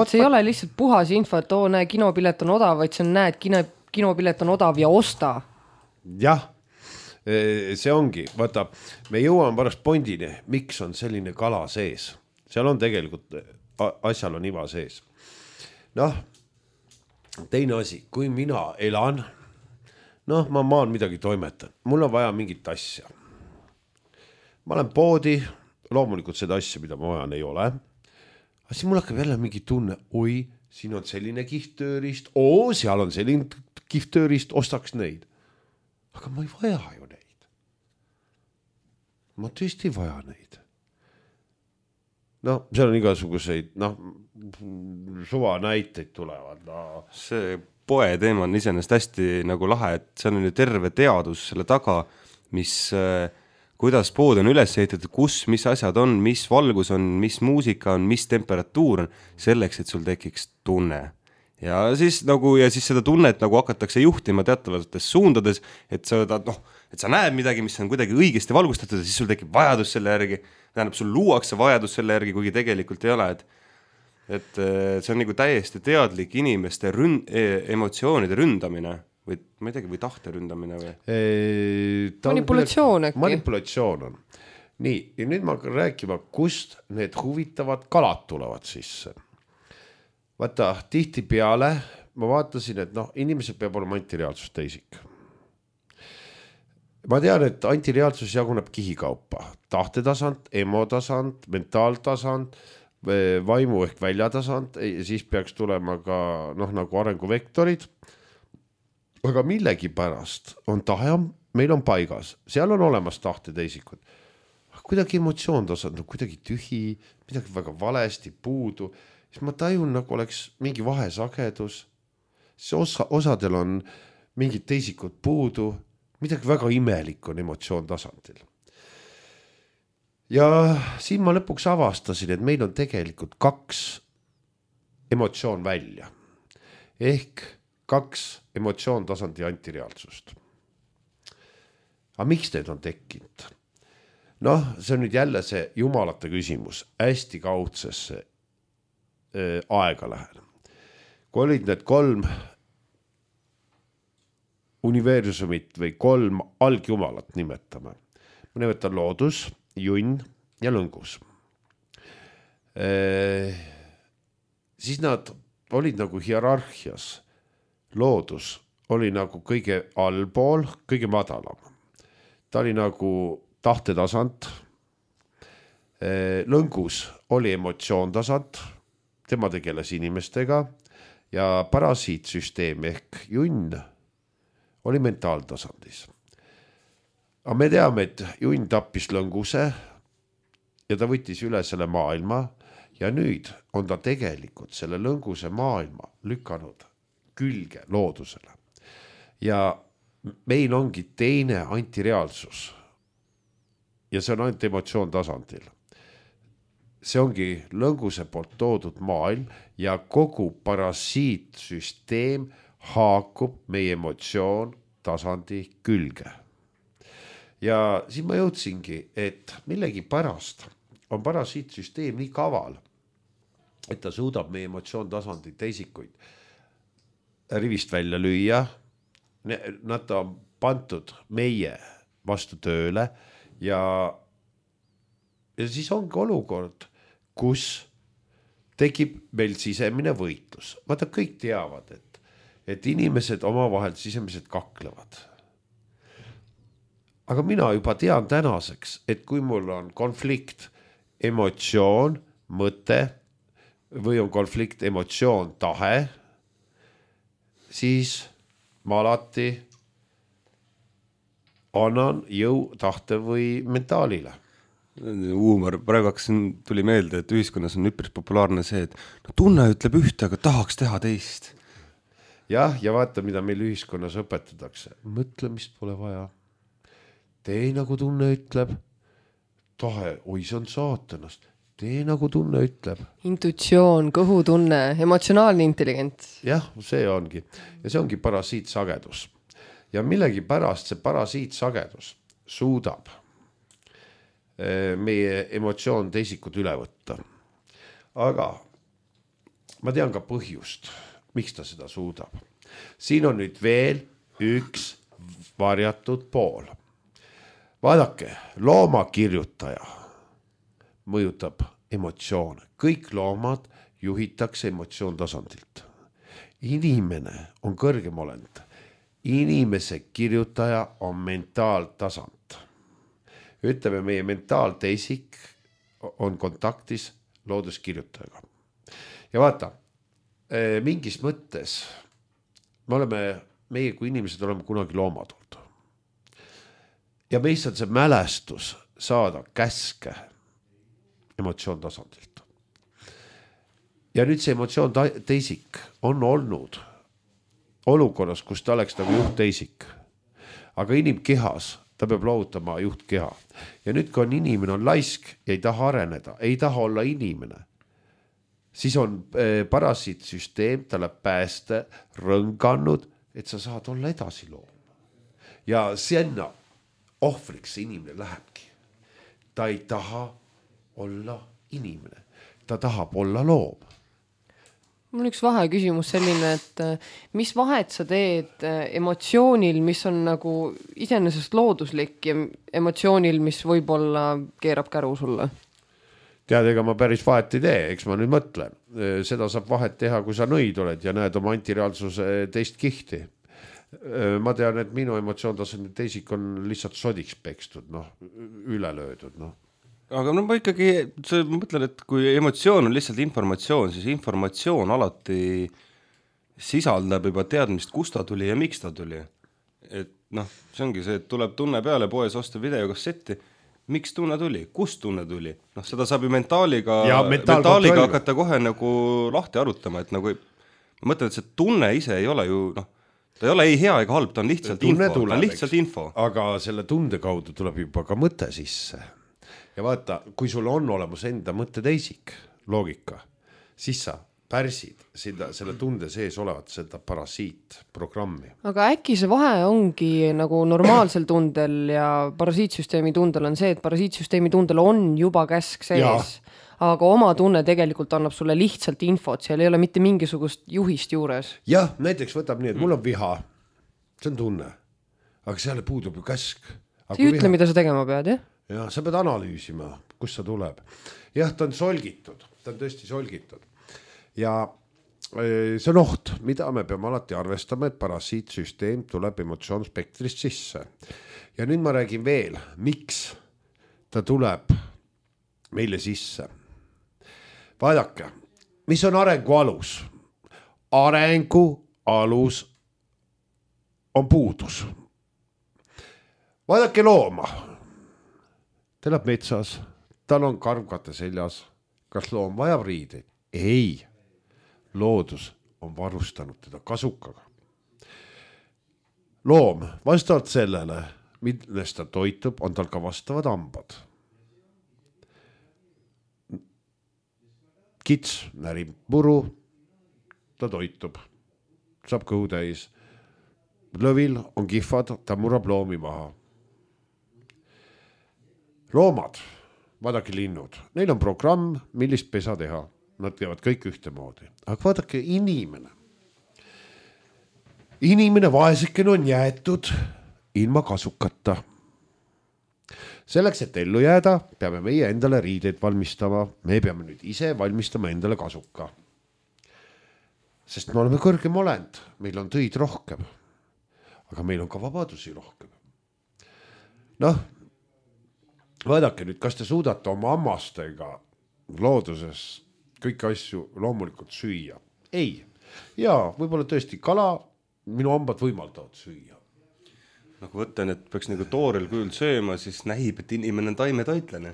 see ei ole lihtsalt puhas info, et näe, kinopilet on odav, vaid see on näed, kinopilet on odav ja osta. Jah, see ongi. Vaata, me jõuame pärast pondini, miks on selline kala sees. Seal on tegelikult, asjal on iva sees. Teine asi, kui mina elan, ma maan midagi toimetan. Mul on vaja mingit asja. Ma olen poodi, loomulikult seda asja, mida ma vajan, ei ole. Aga siis mul hakkab jälle mingi tunne, oi, siin on selline kihttöörist, seal on selline kihttöörist, ostaks neid. Aga ma ei vaja ju neid. Ma tõesti ei vaja neid. Seal on igasuguseid, suva näiteid tulevad. See poe teema on iseenesest hästi nagu lahe, et see on ju terve teadus selle taga, mis... kuidas pood on üles ehitatud, kus, mis asjad on, mis valgus on, mis muusika on, mis temperatuur on, selleks, et sul tekiks tunne. Ja siis seda tunnet nagu hakatakse juhtima teatavates suundades, et sa näed midagi, mis on kuidagi õigesti valgustatud ja siis sul tekib vajadus selle järgi, tähendab, sul luuakse vajadus selle järgi, kuigi tegelikult ei ole, et see on nagu täiesti teadlik inimeste emotsioonide ründamine. Või tahte ründamine või? Manipulatsioon äkki. Manipulatsioon on. Nii, ja nüüd ma hakkan rääkima, kust need huvitavad kalad tulevad sisse. Vaata, tihti peale ma vaatasin, et inimesed peab olema antireaalsus teisik. Ma tean, et antireaalsus jaguneb kihikaupa. Tahtetasand, emotasand, mentaaltasand, vaimu ehk väljatasand, siis peaks tulema ka nagu arenguvektorid. Aga millegi pärast on tahe, meil on paigas, seal on olemas tahte teisikud. Kuidagi emotsioon tasand, kuidagi tühi, midagi väga valesti, puudu. Siis ma tajun, nagu oleks mingi vahesagedus. Osadel on mingid teisikud puudu, midagi väga imelik on emotsioon tasandil. Ja siin ma lõpuks avastasin, et meil on tegelikult 2 emotsioon välja. Ehk 2 emotsioon tasandi antireaalsust. Aga miks need on tekkinud? See on nüüd jälle see jumalate küsimus, hästi kaudsesse aega lähen. Kui olid need 3 universumit või 3 algjumalat nimetame. Ma nimetan loodus, junn ja lõngus. Siis nad olid nagu hierarhias. Loodus oli nagu kõige allpool, kõige madalam. Ta oli nagu tahtetasand. Lõngus oli emotsioontasand, tema tegeles inimestega ja parasiitsüsteem ehk junn oli mentaaltasandis. aga me teame, et junn tappis lõnguse ja ta võttis üle selle maailma ja nüüd on ta tegelikult selle lõnguse maailma lükanud külge loodusele. Ja meil ongi teine antireaalsus ja see on ainult emotsioon tasandil. See ongi lõnguse poolt toodud maailm ja kogu parasiitsüsteem haakub meie emotsioon tasandi külge. Ja siis ma jõudsingi, et millegi pärast on parasiitsüsteem nii kaval, et ta suudab meie emotsioon tasandi teisikuid rivist välja lüüa. Nad on pandud meie vastu tööle ja siis ongi olukord, kus tekib meil sisemine võitlus. Vaata, kõik teavad, et inimesed omavahel sisemiselt kaklevad. Aga mina juba tean tänaseks, et kui mul on konflikt, emotsioon, mõte või on konflikt, emotsioon, tahe, siis ma alati annan jõu, tahte või mentaalile. Huumor, praegu tuli meelde, et ühiskonnas on üpris populaarne see, et no, tunne ütleb ühte, aga tahaks teha teist. Jah, ja vaata, mida meil ühiskonnas õpetatakse. Mõtlemist pole vaja. Tee nagu tunne ütleb. Tahe, oi, see on saatanast. Tee nagu tunne ütleb. Intuitsioon, kõhutunne, emotsionaalne intelligents. Jah, see ongi. Ja see ongi parasiitsagedus. Ja millegi pärast see parasiitsagedus suudab meie emotsioon teisikud üle võtta. Aga ma tean ka põhjust, miks ta seda suudab. Siin on nüüd veel üks varjatud pool. Vaadake, loomakirjutaja mõjutab emotsioone. Kõik loomad juhitakse emotsioon tasandilt. Inimene on kõrgem olend. Inimese kirjutaja on mentaaltasand. Ütleme, meie mentaalteisik on kontaktis looduskirjutajaga. Ja vaata, mingis mõttes meie kui inimesed oleme kunagi loomad olnud. Ja meist on see mälestus saada käske emotsioon tasandilt. Ja nüüd see emotsioon teisik on olnud olukorras, kus ta oleks nagu juhtteisik. Aga inimkehas ta peab loovutama juhtkeha. Ja nüüd, kui on inimene on laisk ja ei taha areneda, ei taha olla inimene, siis on parasiitsüsteem talle pääste rõnganud, et sa saad olla edasi loom. Ja sinna ohvriks see inimene lähebki. Ta ei taha olla inimene, ta tahab olla loom. Mul on üks vaheküsimus selline, et mis vahet sa teed emotsioonil, mis on nagu iseenesest looduslik ja emotsioonil, mis võib-olla keerab käru sulle? Tead, ega ma päris vahet ei tee, eks ma nüüd mõtlen. Seda saab vahet teha, kui sa nõid oled ja näed oma antireaalsuse teist kihti. Ma tean, et minu emotsioontasandi teisik on lihtsalt sodiks pekstud, üle löödud, Aga ma ikkagi mõtlen, et kui emotsioon on lihtsalt informatsioon, siis informatsioon alati sisaldab juba teadmist, kust ta tuli ja miks ta tuli. Et see ongi see, et tuleb tunne peale poes osta videokassetti. Miks tunne tuli? Kust tunne tuli? Seda saab ju mentaaliga hakata kohe nagu lahti arutama, et nagu ma mõtlen, et see tunne ise ei ole ju, ta ei ole ei hea ega halb, ta on lihtsalt info. Aga selle tunde kaudu tuleb juba ka mõte sisse. Ja vaata, kui sul on olemas enda mõtteteisik, loogika, siis sa pärsid selle tunde sees olevat seda parasiitprogrammi. Aga äkki see vahe ongi nagu normaalsel tundel ja parasiitsüsteemi tundel on see, et parasiitsüsteemi tundel on juba käsk sees, aga oma tunne tegelikult annab sulle lihtsalt infot, seal ei ole mitte mingisugust juhist juures. Jah, näiteks võtab nii, et mul on viha, see on tunne, aga seal puudub ju käsk. See ei ütle, mida sa tegema pead, jah? Ja sa pead analüüsima, kus sa tuleb. Jah, ta on solgitud, ta on tõesti solgitud. Ja see on oht, mida me peame alati arvestama, et parasiitsüsteem tuleb emotsioonspektrist sisse. Ja nüüd ma räägin veel, miks ta tuleb meile sisse. Vaadake, mis on arengu alus? Arengu alus on puudus. vaadake looma. Ta elab metsas, tal on karvkate seljas. Kas loom vajab riideid? Ei. Loodus on varustanud teda kasukaga. Loom, vastavalt sellele, millest ta toitub, on tal ka vastavad hambad. Kits närib puru, ta toitub, saab kõhu täis. Lõvil on kihvad, ta murrab loomi maha. Loomad, vaadake linnud, neil on programm, millist pesa teha. Nad teevad kõik ühtemoodi. Aga vaadake inimene. Inimene vaeseken on jäetud ilma kasukata. Selleks, et ellu jääda, peame meie endale riideid valmistama. Me peame nüüd ise valmistama endale kasuka. Sest me oleme kõrgem olend, meil on töid rohkem. Aga meil on ka vabadusi rohkem. Noh, vaadake nüüd, kas te suudate oma hammastega looduses kõiki asju loomulikult süüa? Ei. Ja võib-olla tõesti kala, minu hambad võimaldavad süüa. Nagu võtan, et peaks nagu toorel kujul sööma, siis näib, et inimene on taimetoitlane.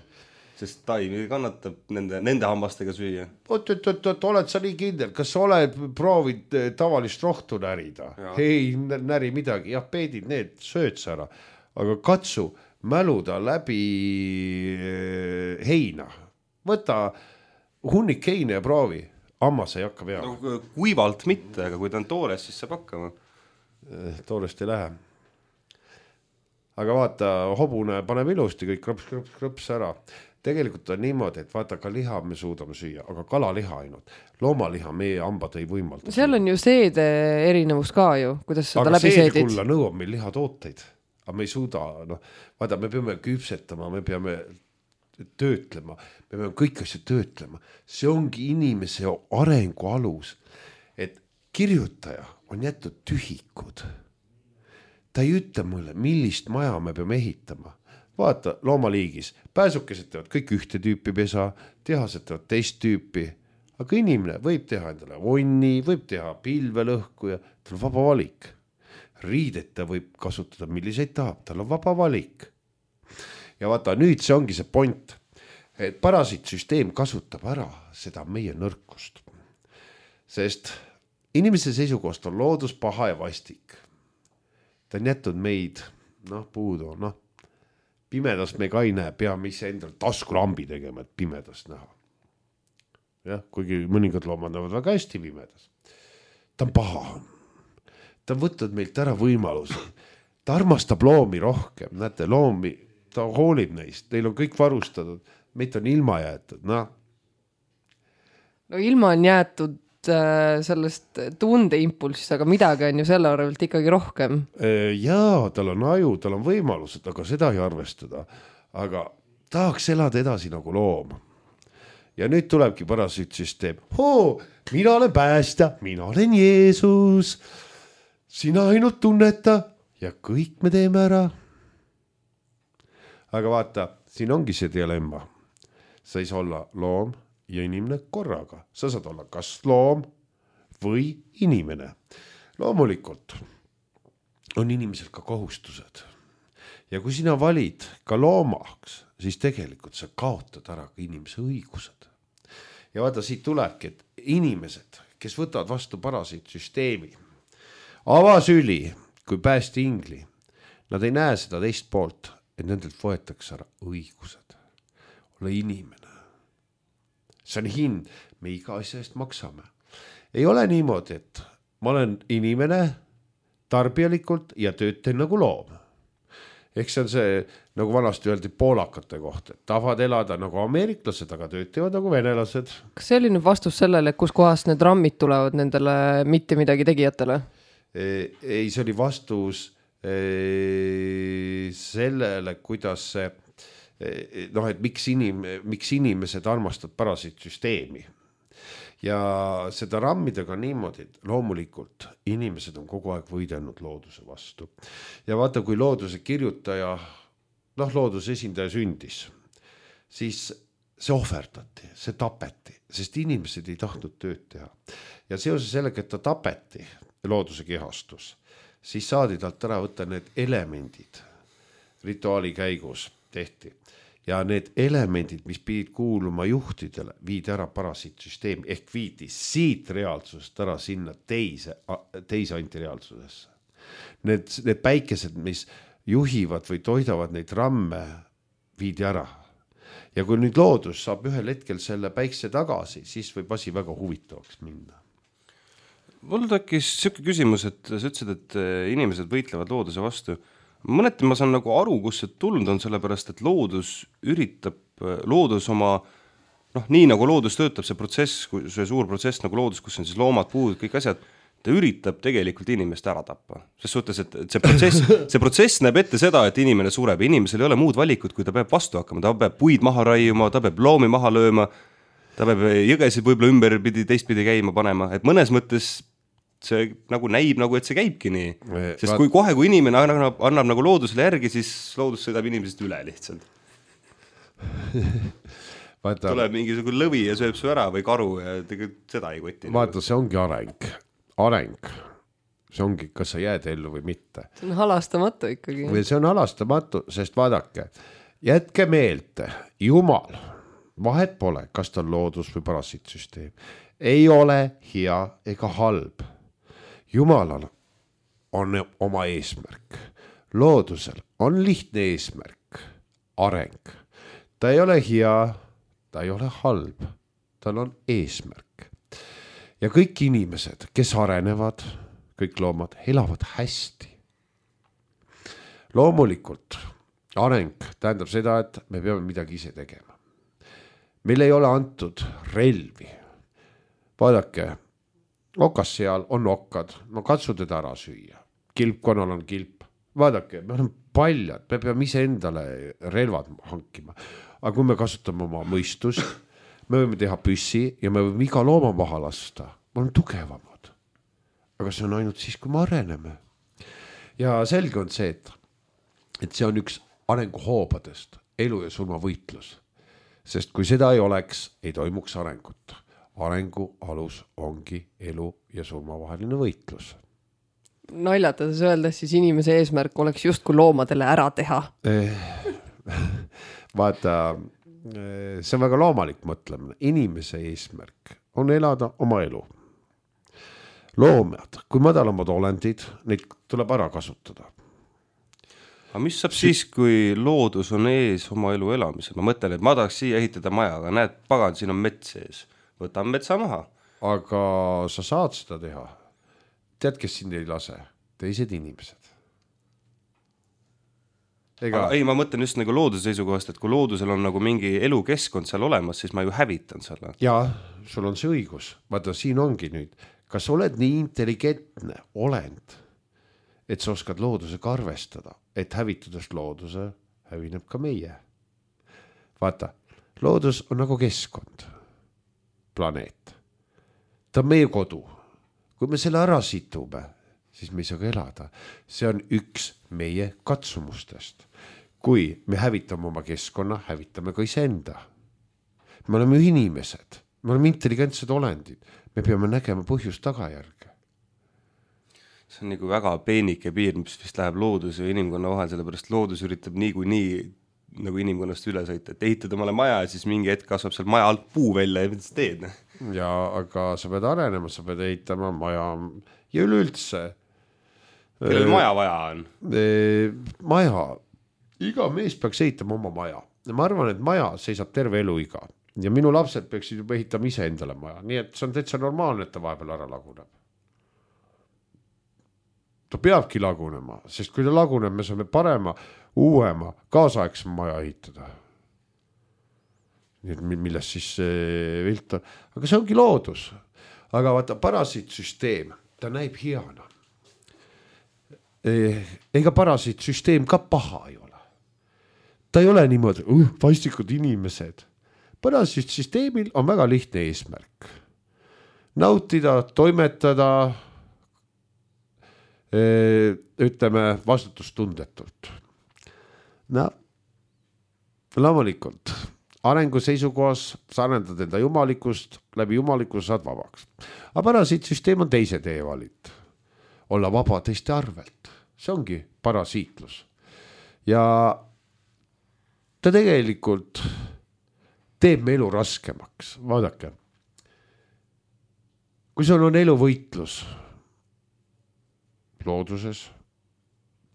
Sest taim kannatab nende hambastega süüa. Oled sa nii kindel, kas sa oled proovid tavalist rohtu närida? Ja. Ei näri midagi, jah, peedid need, sööd sa ära. Aga katsu mäluda läbi heina. Võta hunnik heina ja proovi, hammas ei hakka peale. No, kuivalt mitte, aga kui ta on toores, siis saab hakkama. Toorest ei lähe. Aga vaata, hobune paneb ilusti kõik krõps ära. Tegelikult on niimoodi, et vaata ka liha me suudame süüa, aga kalaliha ainult. Loomaliha meie hambad ei võimalda. Seal on ju seede erinevus ka ju, kuidas seda aga läbi seedid. Aga seedekulla nõuab meil lihatooteid. Aga me ei suuda, vaata, me peame küpsetama, me peame töötlema, me peame kõik asja töötlema. See ongi inimese arengu alus, et kirjutaja on jätud tühikud. Ta ei ütle mulle, millist maja me peame ehitama. Vaata, loomaliigis, pääsukesed teevad kõik ühte tüüpi pesa, tehased teevad teist tüüpi, aga inimene võib teha endale onni, võib teha pilvelõhku ja tal on vaba valik. Riideta võib kasutada, milliseid tahab, tal on vaba valik. Ja vaata, nüüd see ongi see point, et parasiitsüsteem kasutab ära seda meie nõrkust. Sest inimese seisukohast on loodus paha ja vastik. Ta on jätnud meid, puudu, pimedas me ka ei näe, peame ise endal taskulambi tegema, et pimedas näha. Jah, kuigi mõningad loomad näevad väga hästi pimedas. Ta on paha. Ta on võtnud meilt ära võimaluse. Ta armastab loomi rohkem, näete, loomi ta hoolib neist, neil on kõik varustatud, meid on ilma jäetud, No ilma on jäetud sellest tundeimpulsist, aga midagi on ju selle arvelt ikkagi rohkem. Jaa, tal on aju, tal on võimalused, aga seda ei arvestada. Aga tahaks elada edasi nagu loom. Ja nüüd tulebki parasiitsüsteem. Mina olen päästja, mina olen Jeesus. Sina ainult tunneta ja kõik me teeme ära. Aga vaata, siin ongi see dilemma. Sa ei saa olla loom ja inimene korraga. Sa saad olla kas loom või inimene. Loomulikult on inimesel ka kohustused. Ja kui sina valid ka loomaks, siis tegelikult sa kaotad ära ka inimese õigused. Ja vaata, siit tulebki, et inimesed, kes võtavad vastu parasiitsüsteemi, avasüli kui päästi ingli, nad ei näe seda teist poolt, et nendelt võetakse ära õigused. Ole inimene. See on hind, me iga asja eest maksame. Ei ole niimoodi, et ma olen inimene tarbijalikult ja töötan nagu loom. Ehk see on see, nagu vanasti öeldi poolakate kohta, et tahavad elada nagu ameeriklased, aga töötavad nagu venelased. Kas see oli nüüd vastus sellele, kus kohast need rammid tulevad nendele mitte midagi tegijatele? Ei, see oli vastus sellele, kuidas see, et miks inimesed armastavad parasiitsüsteemi. Ja seda rammidega niimoodi, et loomulikult inimesed on kogu aeg võidelnud looduse vastu. Ja vaata, kui looduse kirjutaja, looduse esindaja sündis, siis see ohverdati, see tapeti, sest inimesed ei tahtnud tööd teha. Ja seoses sellega, et ta tapeti, looduse kehastus, siis saadi talt ära võtta need elemendid, rituaali käigus tehti ja need elemendid, mis pidid kuuluma juhtidele, viidi ära parasiitsüsteemi ehk viidi siit reaalsusest ära sinna teise antireaalsusesse. Need päikesed, mis juhivad või toidavad neid ramme, viidi ära. Ja kui nüüd loodus saab ühel hetkel selle päikse tagasi, siis võib asi väga huvitavaks minna. Mul tekkis selline küsimus, et sa ütlesid, et inimesed võitlevad looduse vastu. Mõneti ma saan nagu aru, kus see tulnud on, sellepärast, et loodus oma, nii nagu loodus töötab, see protsess, see suur protsess nagu loodus, kus on siis loomad, puud, kõik asjad, ta üritab tegelikult inimest ära tappa. Ses suhtes, et see protsess näeb ette seda, et inimene sureb. Inimesel ei ole muud valikut, kui ta peab vastu hakkama. Ta peab puid maha raiuma, ta peab loomi maha lööma, ta peab jõgesid võib-olla ümberpidi, teistpidi käima panema. Et mõnes mõttes see nagu näib, nagu et see käibki nii. Sest kui inimene annab nagu loodusele järgi, siis loodus sõidab inimesest üle lihtsalt. Tuleb mingisugune lõvi ja sööb su ära või karu ja tegelikult seda ei koti. Vaata, see ongi areng. See ongi, kas sa jääd ellu või mitte. See on halastamatu ikkagi. See on halastamatu, sest vaadake, jätke meelde, Jumal, vahet pole, kas ta on loodus või parasiitsüsteem. Ei ole hea ega halb. Jumalal on oma eesmärk. Loodusel on lihtne eesmärk. Areng. Ta ei ole hea, ta ei ole halb. Tal on eesmärk. Ja kõik inimesed, kes arenevad, kõik loomad, elavad hästi. Loomulikult areng tähendab seda, et me peame midagi ise tegema. Meil ei ole antud relvi. Vaadake, okas seal on okkad, no katsu teda ära süüa. Kilpkonnal on kilp. Vaadake, me oleme paljad, me peame ise endale relvad hankima. Aga kui me kasutame oma mõistust, me võime teha püssi ja me võime iga looma maha lasta. Me oleme tugevamad. Aga see on ainult siis, kui me areneme. Ja selge on see, et see on üks arenguhoobadest, elu ja surma võitlus. Sest kui seda ei oleks, ei toimuks arengut. Arengu alus ongi elu ja surma vaheline võitlus. Naljatades öeldes, siis inimese eesmärk oleks just kui loomadele ära teha. Vaata, see on väga loomalik mõtlemine. Inimese eesmärk on elada oma elu. Loomad, kui madalamad olendid, neid tuleb ära kasutada. Aga mis saab siis, kui loodus on ees oma elu elamisel? Ma mõtlen, et ma tahaks siia ehitada maja, aga näed, pagan, siin on mets ees. Võtan metsa maha. Aga sa saad seda teha. Tead, kes sind ei lase? Teised inimesed. Ei, ma mõtlen just nagu looduse seisukohast, et kui loodusel on nagu mingi elukeskkond seal olemas, siis ma ju hävitan selle. Jaa, sul on see õigus. Vaata, siin ongi nüüd. Kas oled nii intelligentne olend, et sa oskad loodusega arvestada, et hävitudest looduse hävineb ka meie? Vaata, loodus on nagu keskkond. Planeet. Ta on meie kodu. Kui me selle ära situme, siis me ei saa ka elada. See on üks meie katsumustest. Kui me hävitame oma keskkonna, hävitame ka iseenda. Me oleme inimesed. Me oleme intelligentsed olendid. Me peame nägema põhjust tagajärge. See on nagu väga peenike piir, mis vist läheb looduse ja inimkonna vahel, sellepärast loodus üritab nii nagu inimkonnast üle sõita, et ehitad omale maja ja siis mingi hetk kasvab seal maja alt puu välja ja mida sa teed? Ja, aga sa pead arenema, sa pead ehitama maja ja üleüldse. Kellel maja vaja on? Maja. Iga mees peaks ehitama oma maja. Ja ma arvan, et maja seisab terve elu iga. Ja minu lapsed peaksid juba ehitama ise endale maja. Nii et see on täitsa normaalne, et ta vahepeal ära laguneb. Ta peabki lagunema, sest kui ta laguneb, me saame parema, uuema, kaasaegsema maja ehitada. Nii et millest siis vilt on. Aga see ongi loodus. Aga vaata, parasiitsüsteem, ta näib heana. Ega parasiitsüsteem ka paha ei ole. Ta ei ole niimoodi, vastikud inimesed. Parasiitsüsteemil on väga lihtne eesmärk. Nautida, toimetada, ütleme vastutustundetult. No, loomulikult, arengu seisukohas sa arendad enda jumalikust, läbi jumalikust saad vabaks. Aga parasiitsüsteem on teise tee valit. Olla vaba teiste arvelt. See ongi parasiitlus. ja ta tegelikult teeb me elu raskemaks, vaadake. Kui sul on eluvõitlus looduses,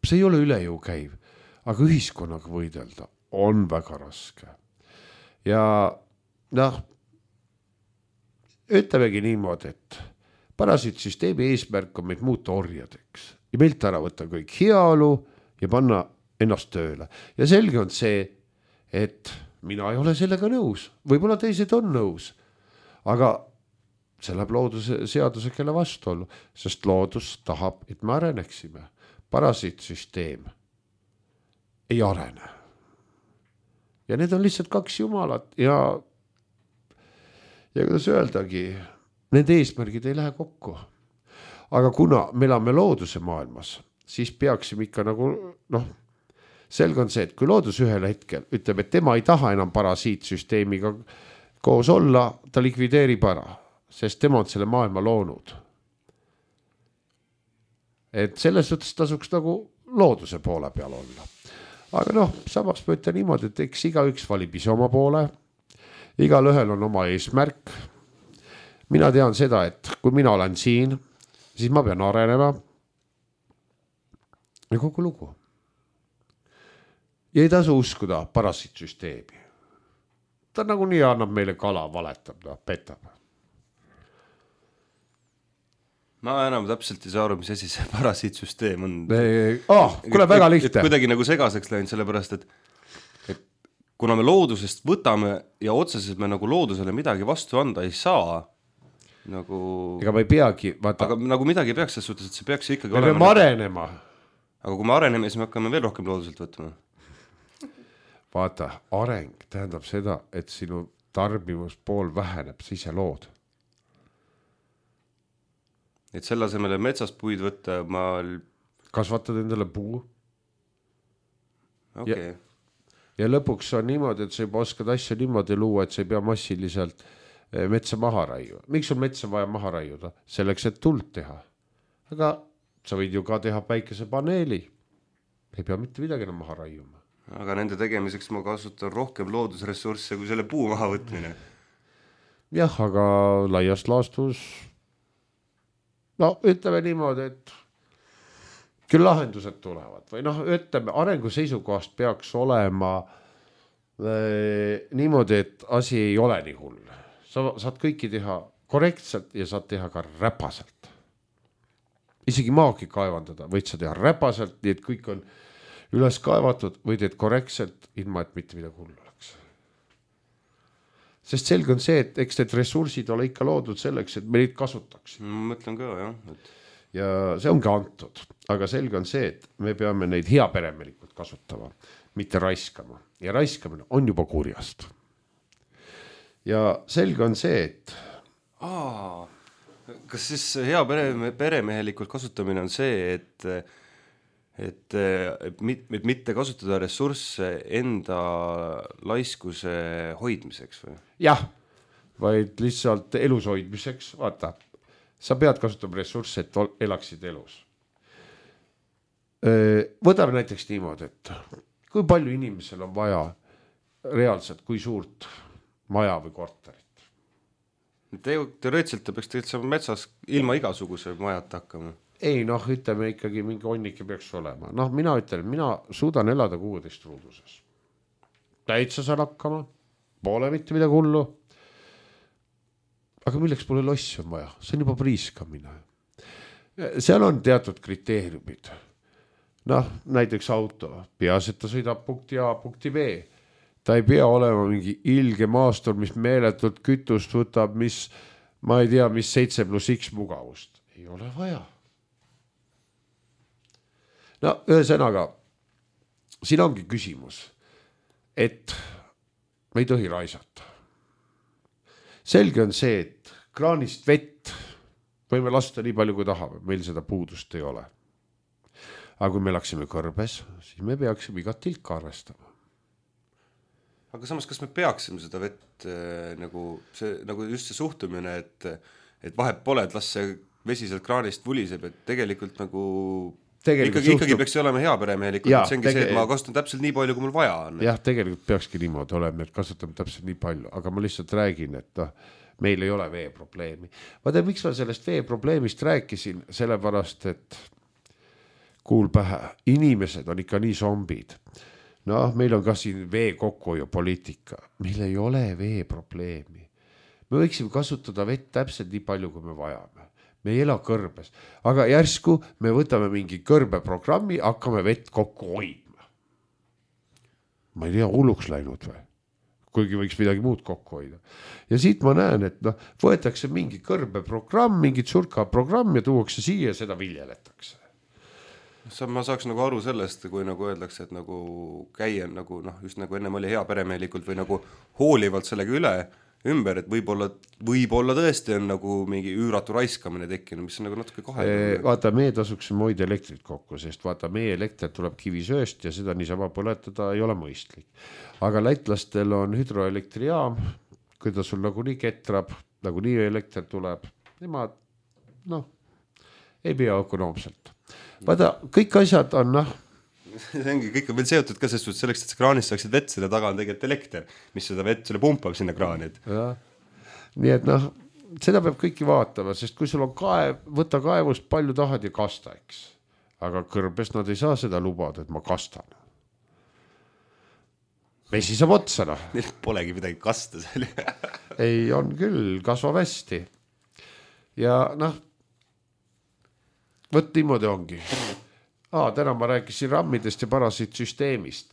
see ei ole üle jõu käiv, aga ühiskonnaga võidelda on väga raske. Ja ütlemegi niimoodi, et parasiitsüsteemi eesmärk on meid muuta orjadeks ja meilt ära võtta kõik heaolu ja panna ennast tööle. Ja selge on see, et mina ei ole sellega nõus, võib-olla teised on nõus, aga see läheb looduse seaduse kelle vastuollu, sest loodus tahab, et me areneksime. Parasiitsüsteem ei arene. Ja need on lihtsalt kaks jumalat ja kuidas öeldagi, need eesmärgid ei lähe kokku. Aga kuna me elame looduse maailmas, siis peaksime ikka nagu, selge on see, et kui loodus ühel hetkel ütleb, et tema ei taha enam parasiitsüsteemiga koos olla, ta likvideerib ära, sest tema on selle maailma loonud. Et selles suhtes tasuks nagu looduse poole peal olla. Aga samas ma ütlen niimoodi, et eks igaüks valib ise oma poole, igal ühel on oma eesmärk. Mina tean seda, et kui mina olen siin, siis ma pean arenema ja kogu lugu. Ja ei tasu uskuda parasiitsüsteemi. Ta nagu nii annab meile kala, valetab, petab. Ma enam täpselt ei saa aru, mis asi see parasiitsüsteem on. Kuule väga lihtne. Kuidagi nagu segaseks läinud, sellepärast, et kuna me loodusest võtame ja otseselt me nagu loodusele midagi vastu anda ei saa, nagu... Ega me ei peagi, vaata... Aga nagu midagi peaks selles suhtes, et see peaks ikkagi olema... Me peame arenema. Aga kui me areneme, siis me hakkame veel rohkem looduselt võtma. Vaata, areng tähendab seda, et sinu tarbimuspool väheneb, sa ise lood. Et selle asemele metsast puid võtta, kasvatad endale puu. Okay. Ja lõpuks on niimoodi, et sa juba oskad asja niimoodi luua, et sa ei pea massiliselt metsa maha raiua. Miks on metsa vaja maha raiuda? Selleks, et tuld teha. Aga sa võid ju ka teha päikesepaneeli. Ei pea mitte midagi enam maha raiuma. Aga nende tegemiseks ma kasutan rohkem loodusressursse kui selle puu maha võtmine. Jah, aga laias laastus... ütleme niimoodi, et küll lahendused tulevad või ütleme, arengu seisukohast peaks olema niimoodi, et asi ei ole nii hull. Sa saad kõiki teha korrektselt ja saad teha ka räpaselt. Isegi maagi kaevandada, võid sa teha räpaselt, nii et kõik on üles kaevatud või teed korrektselt, ilma et mitte midagi hull oleks. Sest selge on see, et eks need ressursid ole ikka loodud selleks, et me neid kasutaks. Ma mõtlen ka, jah. Ja see ongi antud. Aga selge on see, et me peame neid heaperemelikult kasutama, mitte raiskama. Ja raiskamine on juba kurjast. Ja selge on see, et... Kas siis hea peremehelikult kasutamine on see, et mitte kasutada ressursse enda laiskuse hoidmiseks või? Jah, vaid lihtsalt elus hoidmiseks. Vaata, sa pead kasutama ressursse, et elaksid elus. Võtame näiteks niimoodi, et kui palju inimesel on vaja reaalselt, kui suurt maja või korterit? Teoreetselt ta peaks tegelikult saama metsas ilma igasuguse majat hakkama. Ei, ütleme ikkagi mingi onnike peaks olema. Mina ütlen, mina suudan elada 16 ruuduses. Täitsa saan hakkama, pole mitte midagi hullu. Aga milleks pole lossi on vaja? See on juba priiskamine. Seal on teatud kriteeriumid. Näiteks auto. Peas, et ta sõidab punkti A, punkti B. Ta ei pea olema mingi ilge maastur, mis meeletult kütust võtab, mis, ma ei tea, mis 7+X mugavust. Ei ole vaja. Ühesõnaga, siin ongi küsimus, et me ei tohi raisata. Selge on see, et kraanist vett võime lasta nii palju, kui tahame, meil seda puudust ei ole. Aga kui me läksime kõrbes, siis me peaksime igat tilka arvestama. Aga samas, kas me peaksime seda vett nagu just see suhtumine, et vahet pole, et las see vesi sealt kraanist vuliseb, et tegelikult nagu ikkagi peaks olema hea peremehelikult, see ongi see, et ma kasutan täpselt nii palju, kui mul vaja on. Jah, tegelikult peakski niimoodi olema, et kasutame täpselt nii palju, aga ma lihtsalt räägin, et meil ei ole veeprobleemi. Vaata, miks ma sellest veeprobleemist rääkisin, sellepärast, et kuul pähe, inimesed on ikka nii zombid. Meil on ka siin vee kokkuhoiupoliitika, meil ei ole veeprobleemi. Me võiksime kasutada vett täpselt nii palju, kui me vajame. Me ei ela kõrbes, aga järsku me võtame mingi kõrbeprogrammi, hakkame vett kokku hoidma. Ma ei tea, hulluks läinud või? Kuigi võiks midagi muud kokku hoida. Ja siit ma näen, et võetakse mingi kõrbeprogramm, mingit surkaprogramm ja tuuakse siia ja seda viljeletakse. Ma saaks nagu aru sellest, kui nagu öeldakse, et nagu käia nagu, just nagu ennem oli hea peremehelikult või nagu hoolivalt sellega ümber, et võib-olla tõesti on nagu mingi üüratu raiskamine tekkinud, mis on nagu natuke kahe. Vaata, meie tasuksime hoida elektrit kokku, sest vaata, meie elekter tuleb kivisööst ja seda niisama põletada ei ole mõistlik. Aga lätlastel on hüdroelektrijaam, kui ta sul nagu nii ketrab, nagu nii elekter tuleb, nemad, ei pea ökonoomselt. Vaata, kõik asjad on, see ongi kõik on veel seotud ka selleks, et see kraanist saaksid vett, selle taga on tegelikult elekter, mis seda vett selle pumpab sinna kraani. Nii et seda peab kõiki vaatama, sest kui sul on võta kaevust palju tahad ja kasta, eks. Aga kõrbes nad ei saa seda lubada, et ma kastan. Vesi saab otsa, Neil polegi midagi kasta seal. Ei, on küll, kasvab hästi. Ja võt niimoodi ongi. Täna ma rääkisin rammidest ja parasiitsüsteemist.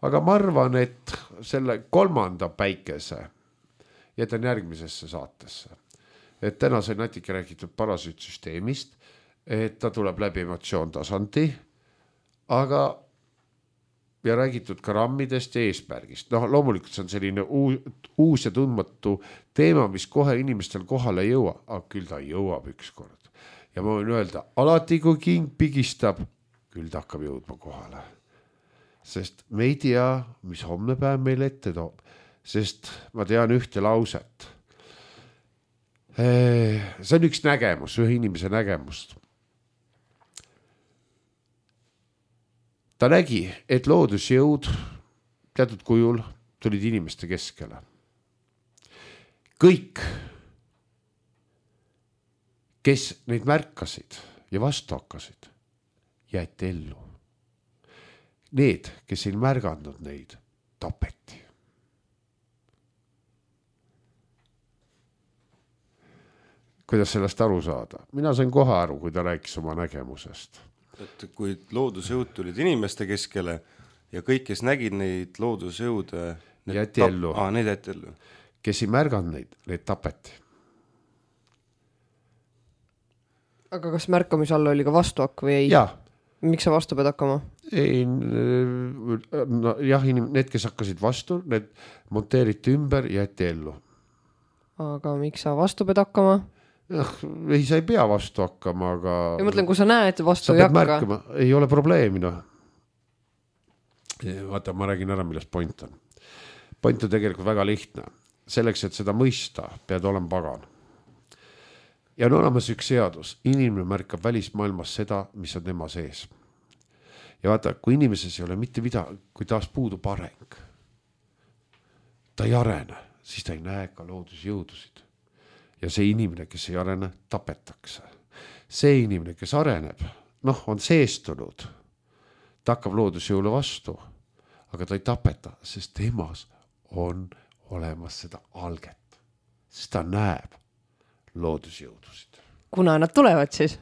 Aga ma arvan, et selle 3. päikese jätan järgmisesse saatesse. Et täna sai natuke räägitud parasiitsüsteemist, et ta tuleb läbi emotsioontasandi, aga ja räägitud ka rammidest ja eesmärgist. Loomulikult see on selline uus ja tundmatu teema, mis kohe inimestel kohale ei jõua, aga küll ta jõuab ükskord. Ja ma võin öelda, alati kui king pigistab, küll ta hakkab jõudma kohale. Sest me ei tea, mis homne päev meil ette toob. Sest ma tean ühte lauset. See on üks nägemus, ühe inimese nägemust. Ta nägi, et loodusjõud teatud kujul tulid inimeste keskele. Kõik, kes neid märkasid ja vastu hakkasid, jäeti ellu. Need, kes ei märganud neid, tapeti. Kuidas sellest aru saada? Mina sain kohe aru, kui ta rääkis oma nägemusest. Et kui loodusjõud tulid inimeste keskele ja kõik, kes nägid neid loodusjõude, jäeti ellu. Need jäeti ellu. Kes ei märganud neid tapeti. Aga kas märkamise all oli ka vastuhakk või ei? Jah. Miks sa vastu pead hakkama? Ei, need, kes hakkasid vastu, need monteeriti ümber ja jäeti ellu. Aga miks sa vastu pead hakkama? Ei, sa ei pea vastu hakkama, aga... Ja mõtlen, kui sa näed vastu ei hakka. Märkama. Ei ole probleemi, Vaata, ma räägin ära, millest point on. Point on tegelikult väga lihtne. Selleks, et seda mõista, pead olema pagan. Ja on olemas üks seadus. Inimene märkab välismaailmas seda, mis on tema sees. Ja vaata, kui inimeses ei ole mitte midagi, kui taas puudub areng, ta ei arene, siis ta ei näe ka loodusjõudusid. Ja see inimene, kes ei arene, tapetakse. See inimene, kes areneb, on seestunud, ta hakkab loodusjõule vastu, aga ta ei tapeta, sest temas on olemas seda alget, sest ta näeb loodusjõudusid. Kuna nad tulevad siis?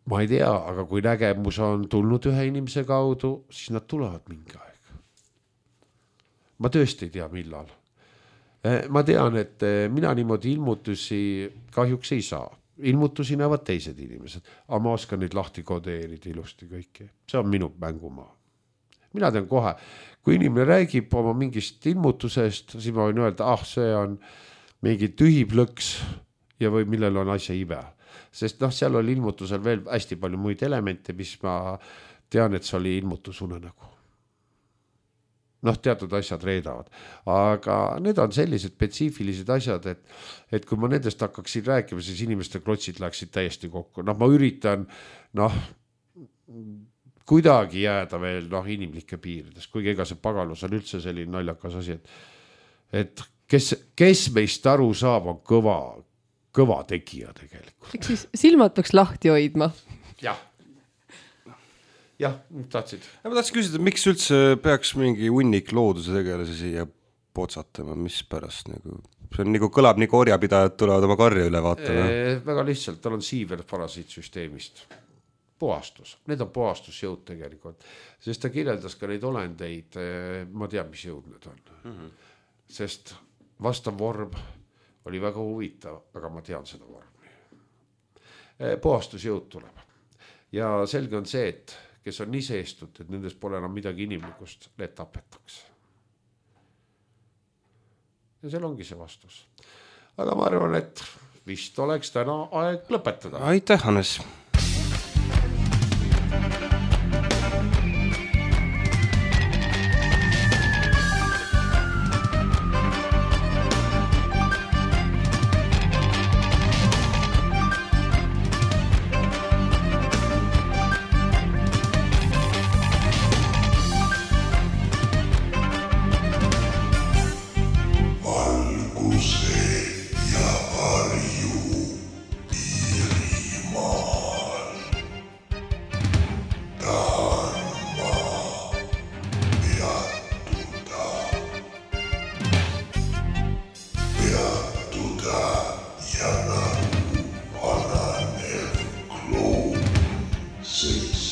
Ma ei tea, aga kui nägemus on tulnud ühe inimese kaudu, siis nad tulevad mingi aeg. Ma tõesti ei tea, millal. Ma tean, et mina niimoodi ilmutusi kahjuks ei saa. Ilmutusi näevad teised inimesed, aga ma oskan neid lahti kodeerida ilusti kõiki. See on minu mängumaa. Mina tean kohe, kui inimene räägib oma mingist ilmutusest, siis ma võin öelda, see on mingi tühiplõks ja või millel on asja ibe. Sest seal oli ilmutusel veel hästi palju muid elemente, mis ma tean, et see oli ilmutusunenägu. Teatud asjad reedavad. Aga need on sellised spetsiifilised asjad, et kui ma nendest hakkaksin rääkima, siis inimeste klotsid läksid täiesti kokku. Ma üritan kuidagi jääda veel inimlike piirides, kuigi ega see pagalus on üldse selline naljakas asi, et kes meist aru saab, on kõva tegija tegelikult. Eks siis silmad peaks lahti hoidma. Jah, tahtsid. Ma tahtsin küsida, miks üldse peaks mingi hunnik looduse tegelasi siia potsatama, mis pärast nagu... See on kõlab nii orjapidajad tulevad oma karja üle vaatama. Väga lihtsalt, tal on siiver parasiitsüsteemist. Puhastus, need on puhastusjõud tegelikult, sest ta kirjeldas ka neid olendeid, ma tean, mis jõud need on. Sest vastav vorm oli väga huvitav, aga ma tean seda vormi. Puhastusjõud tuleb. Ja selge on see, et kes on nii seestud, et nendes pole enam midagi inimlikust, need tapetakse. Ja seal ongi see vastus. Aga ma arvan, et vist oleks täna aeg lõpetada. Aitäh, Hannes! Six.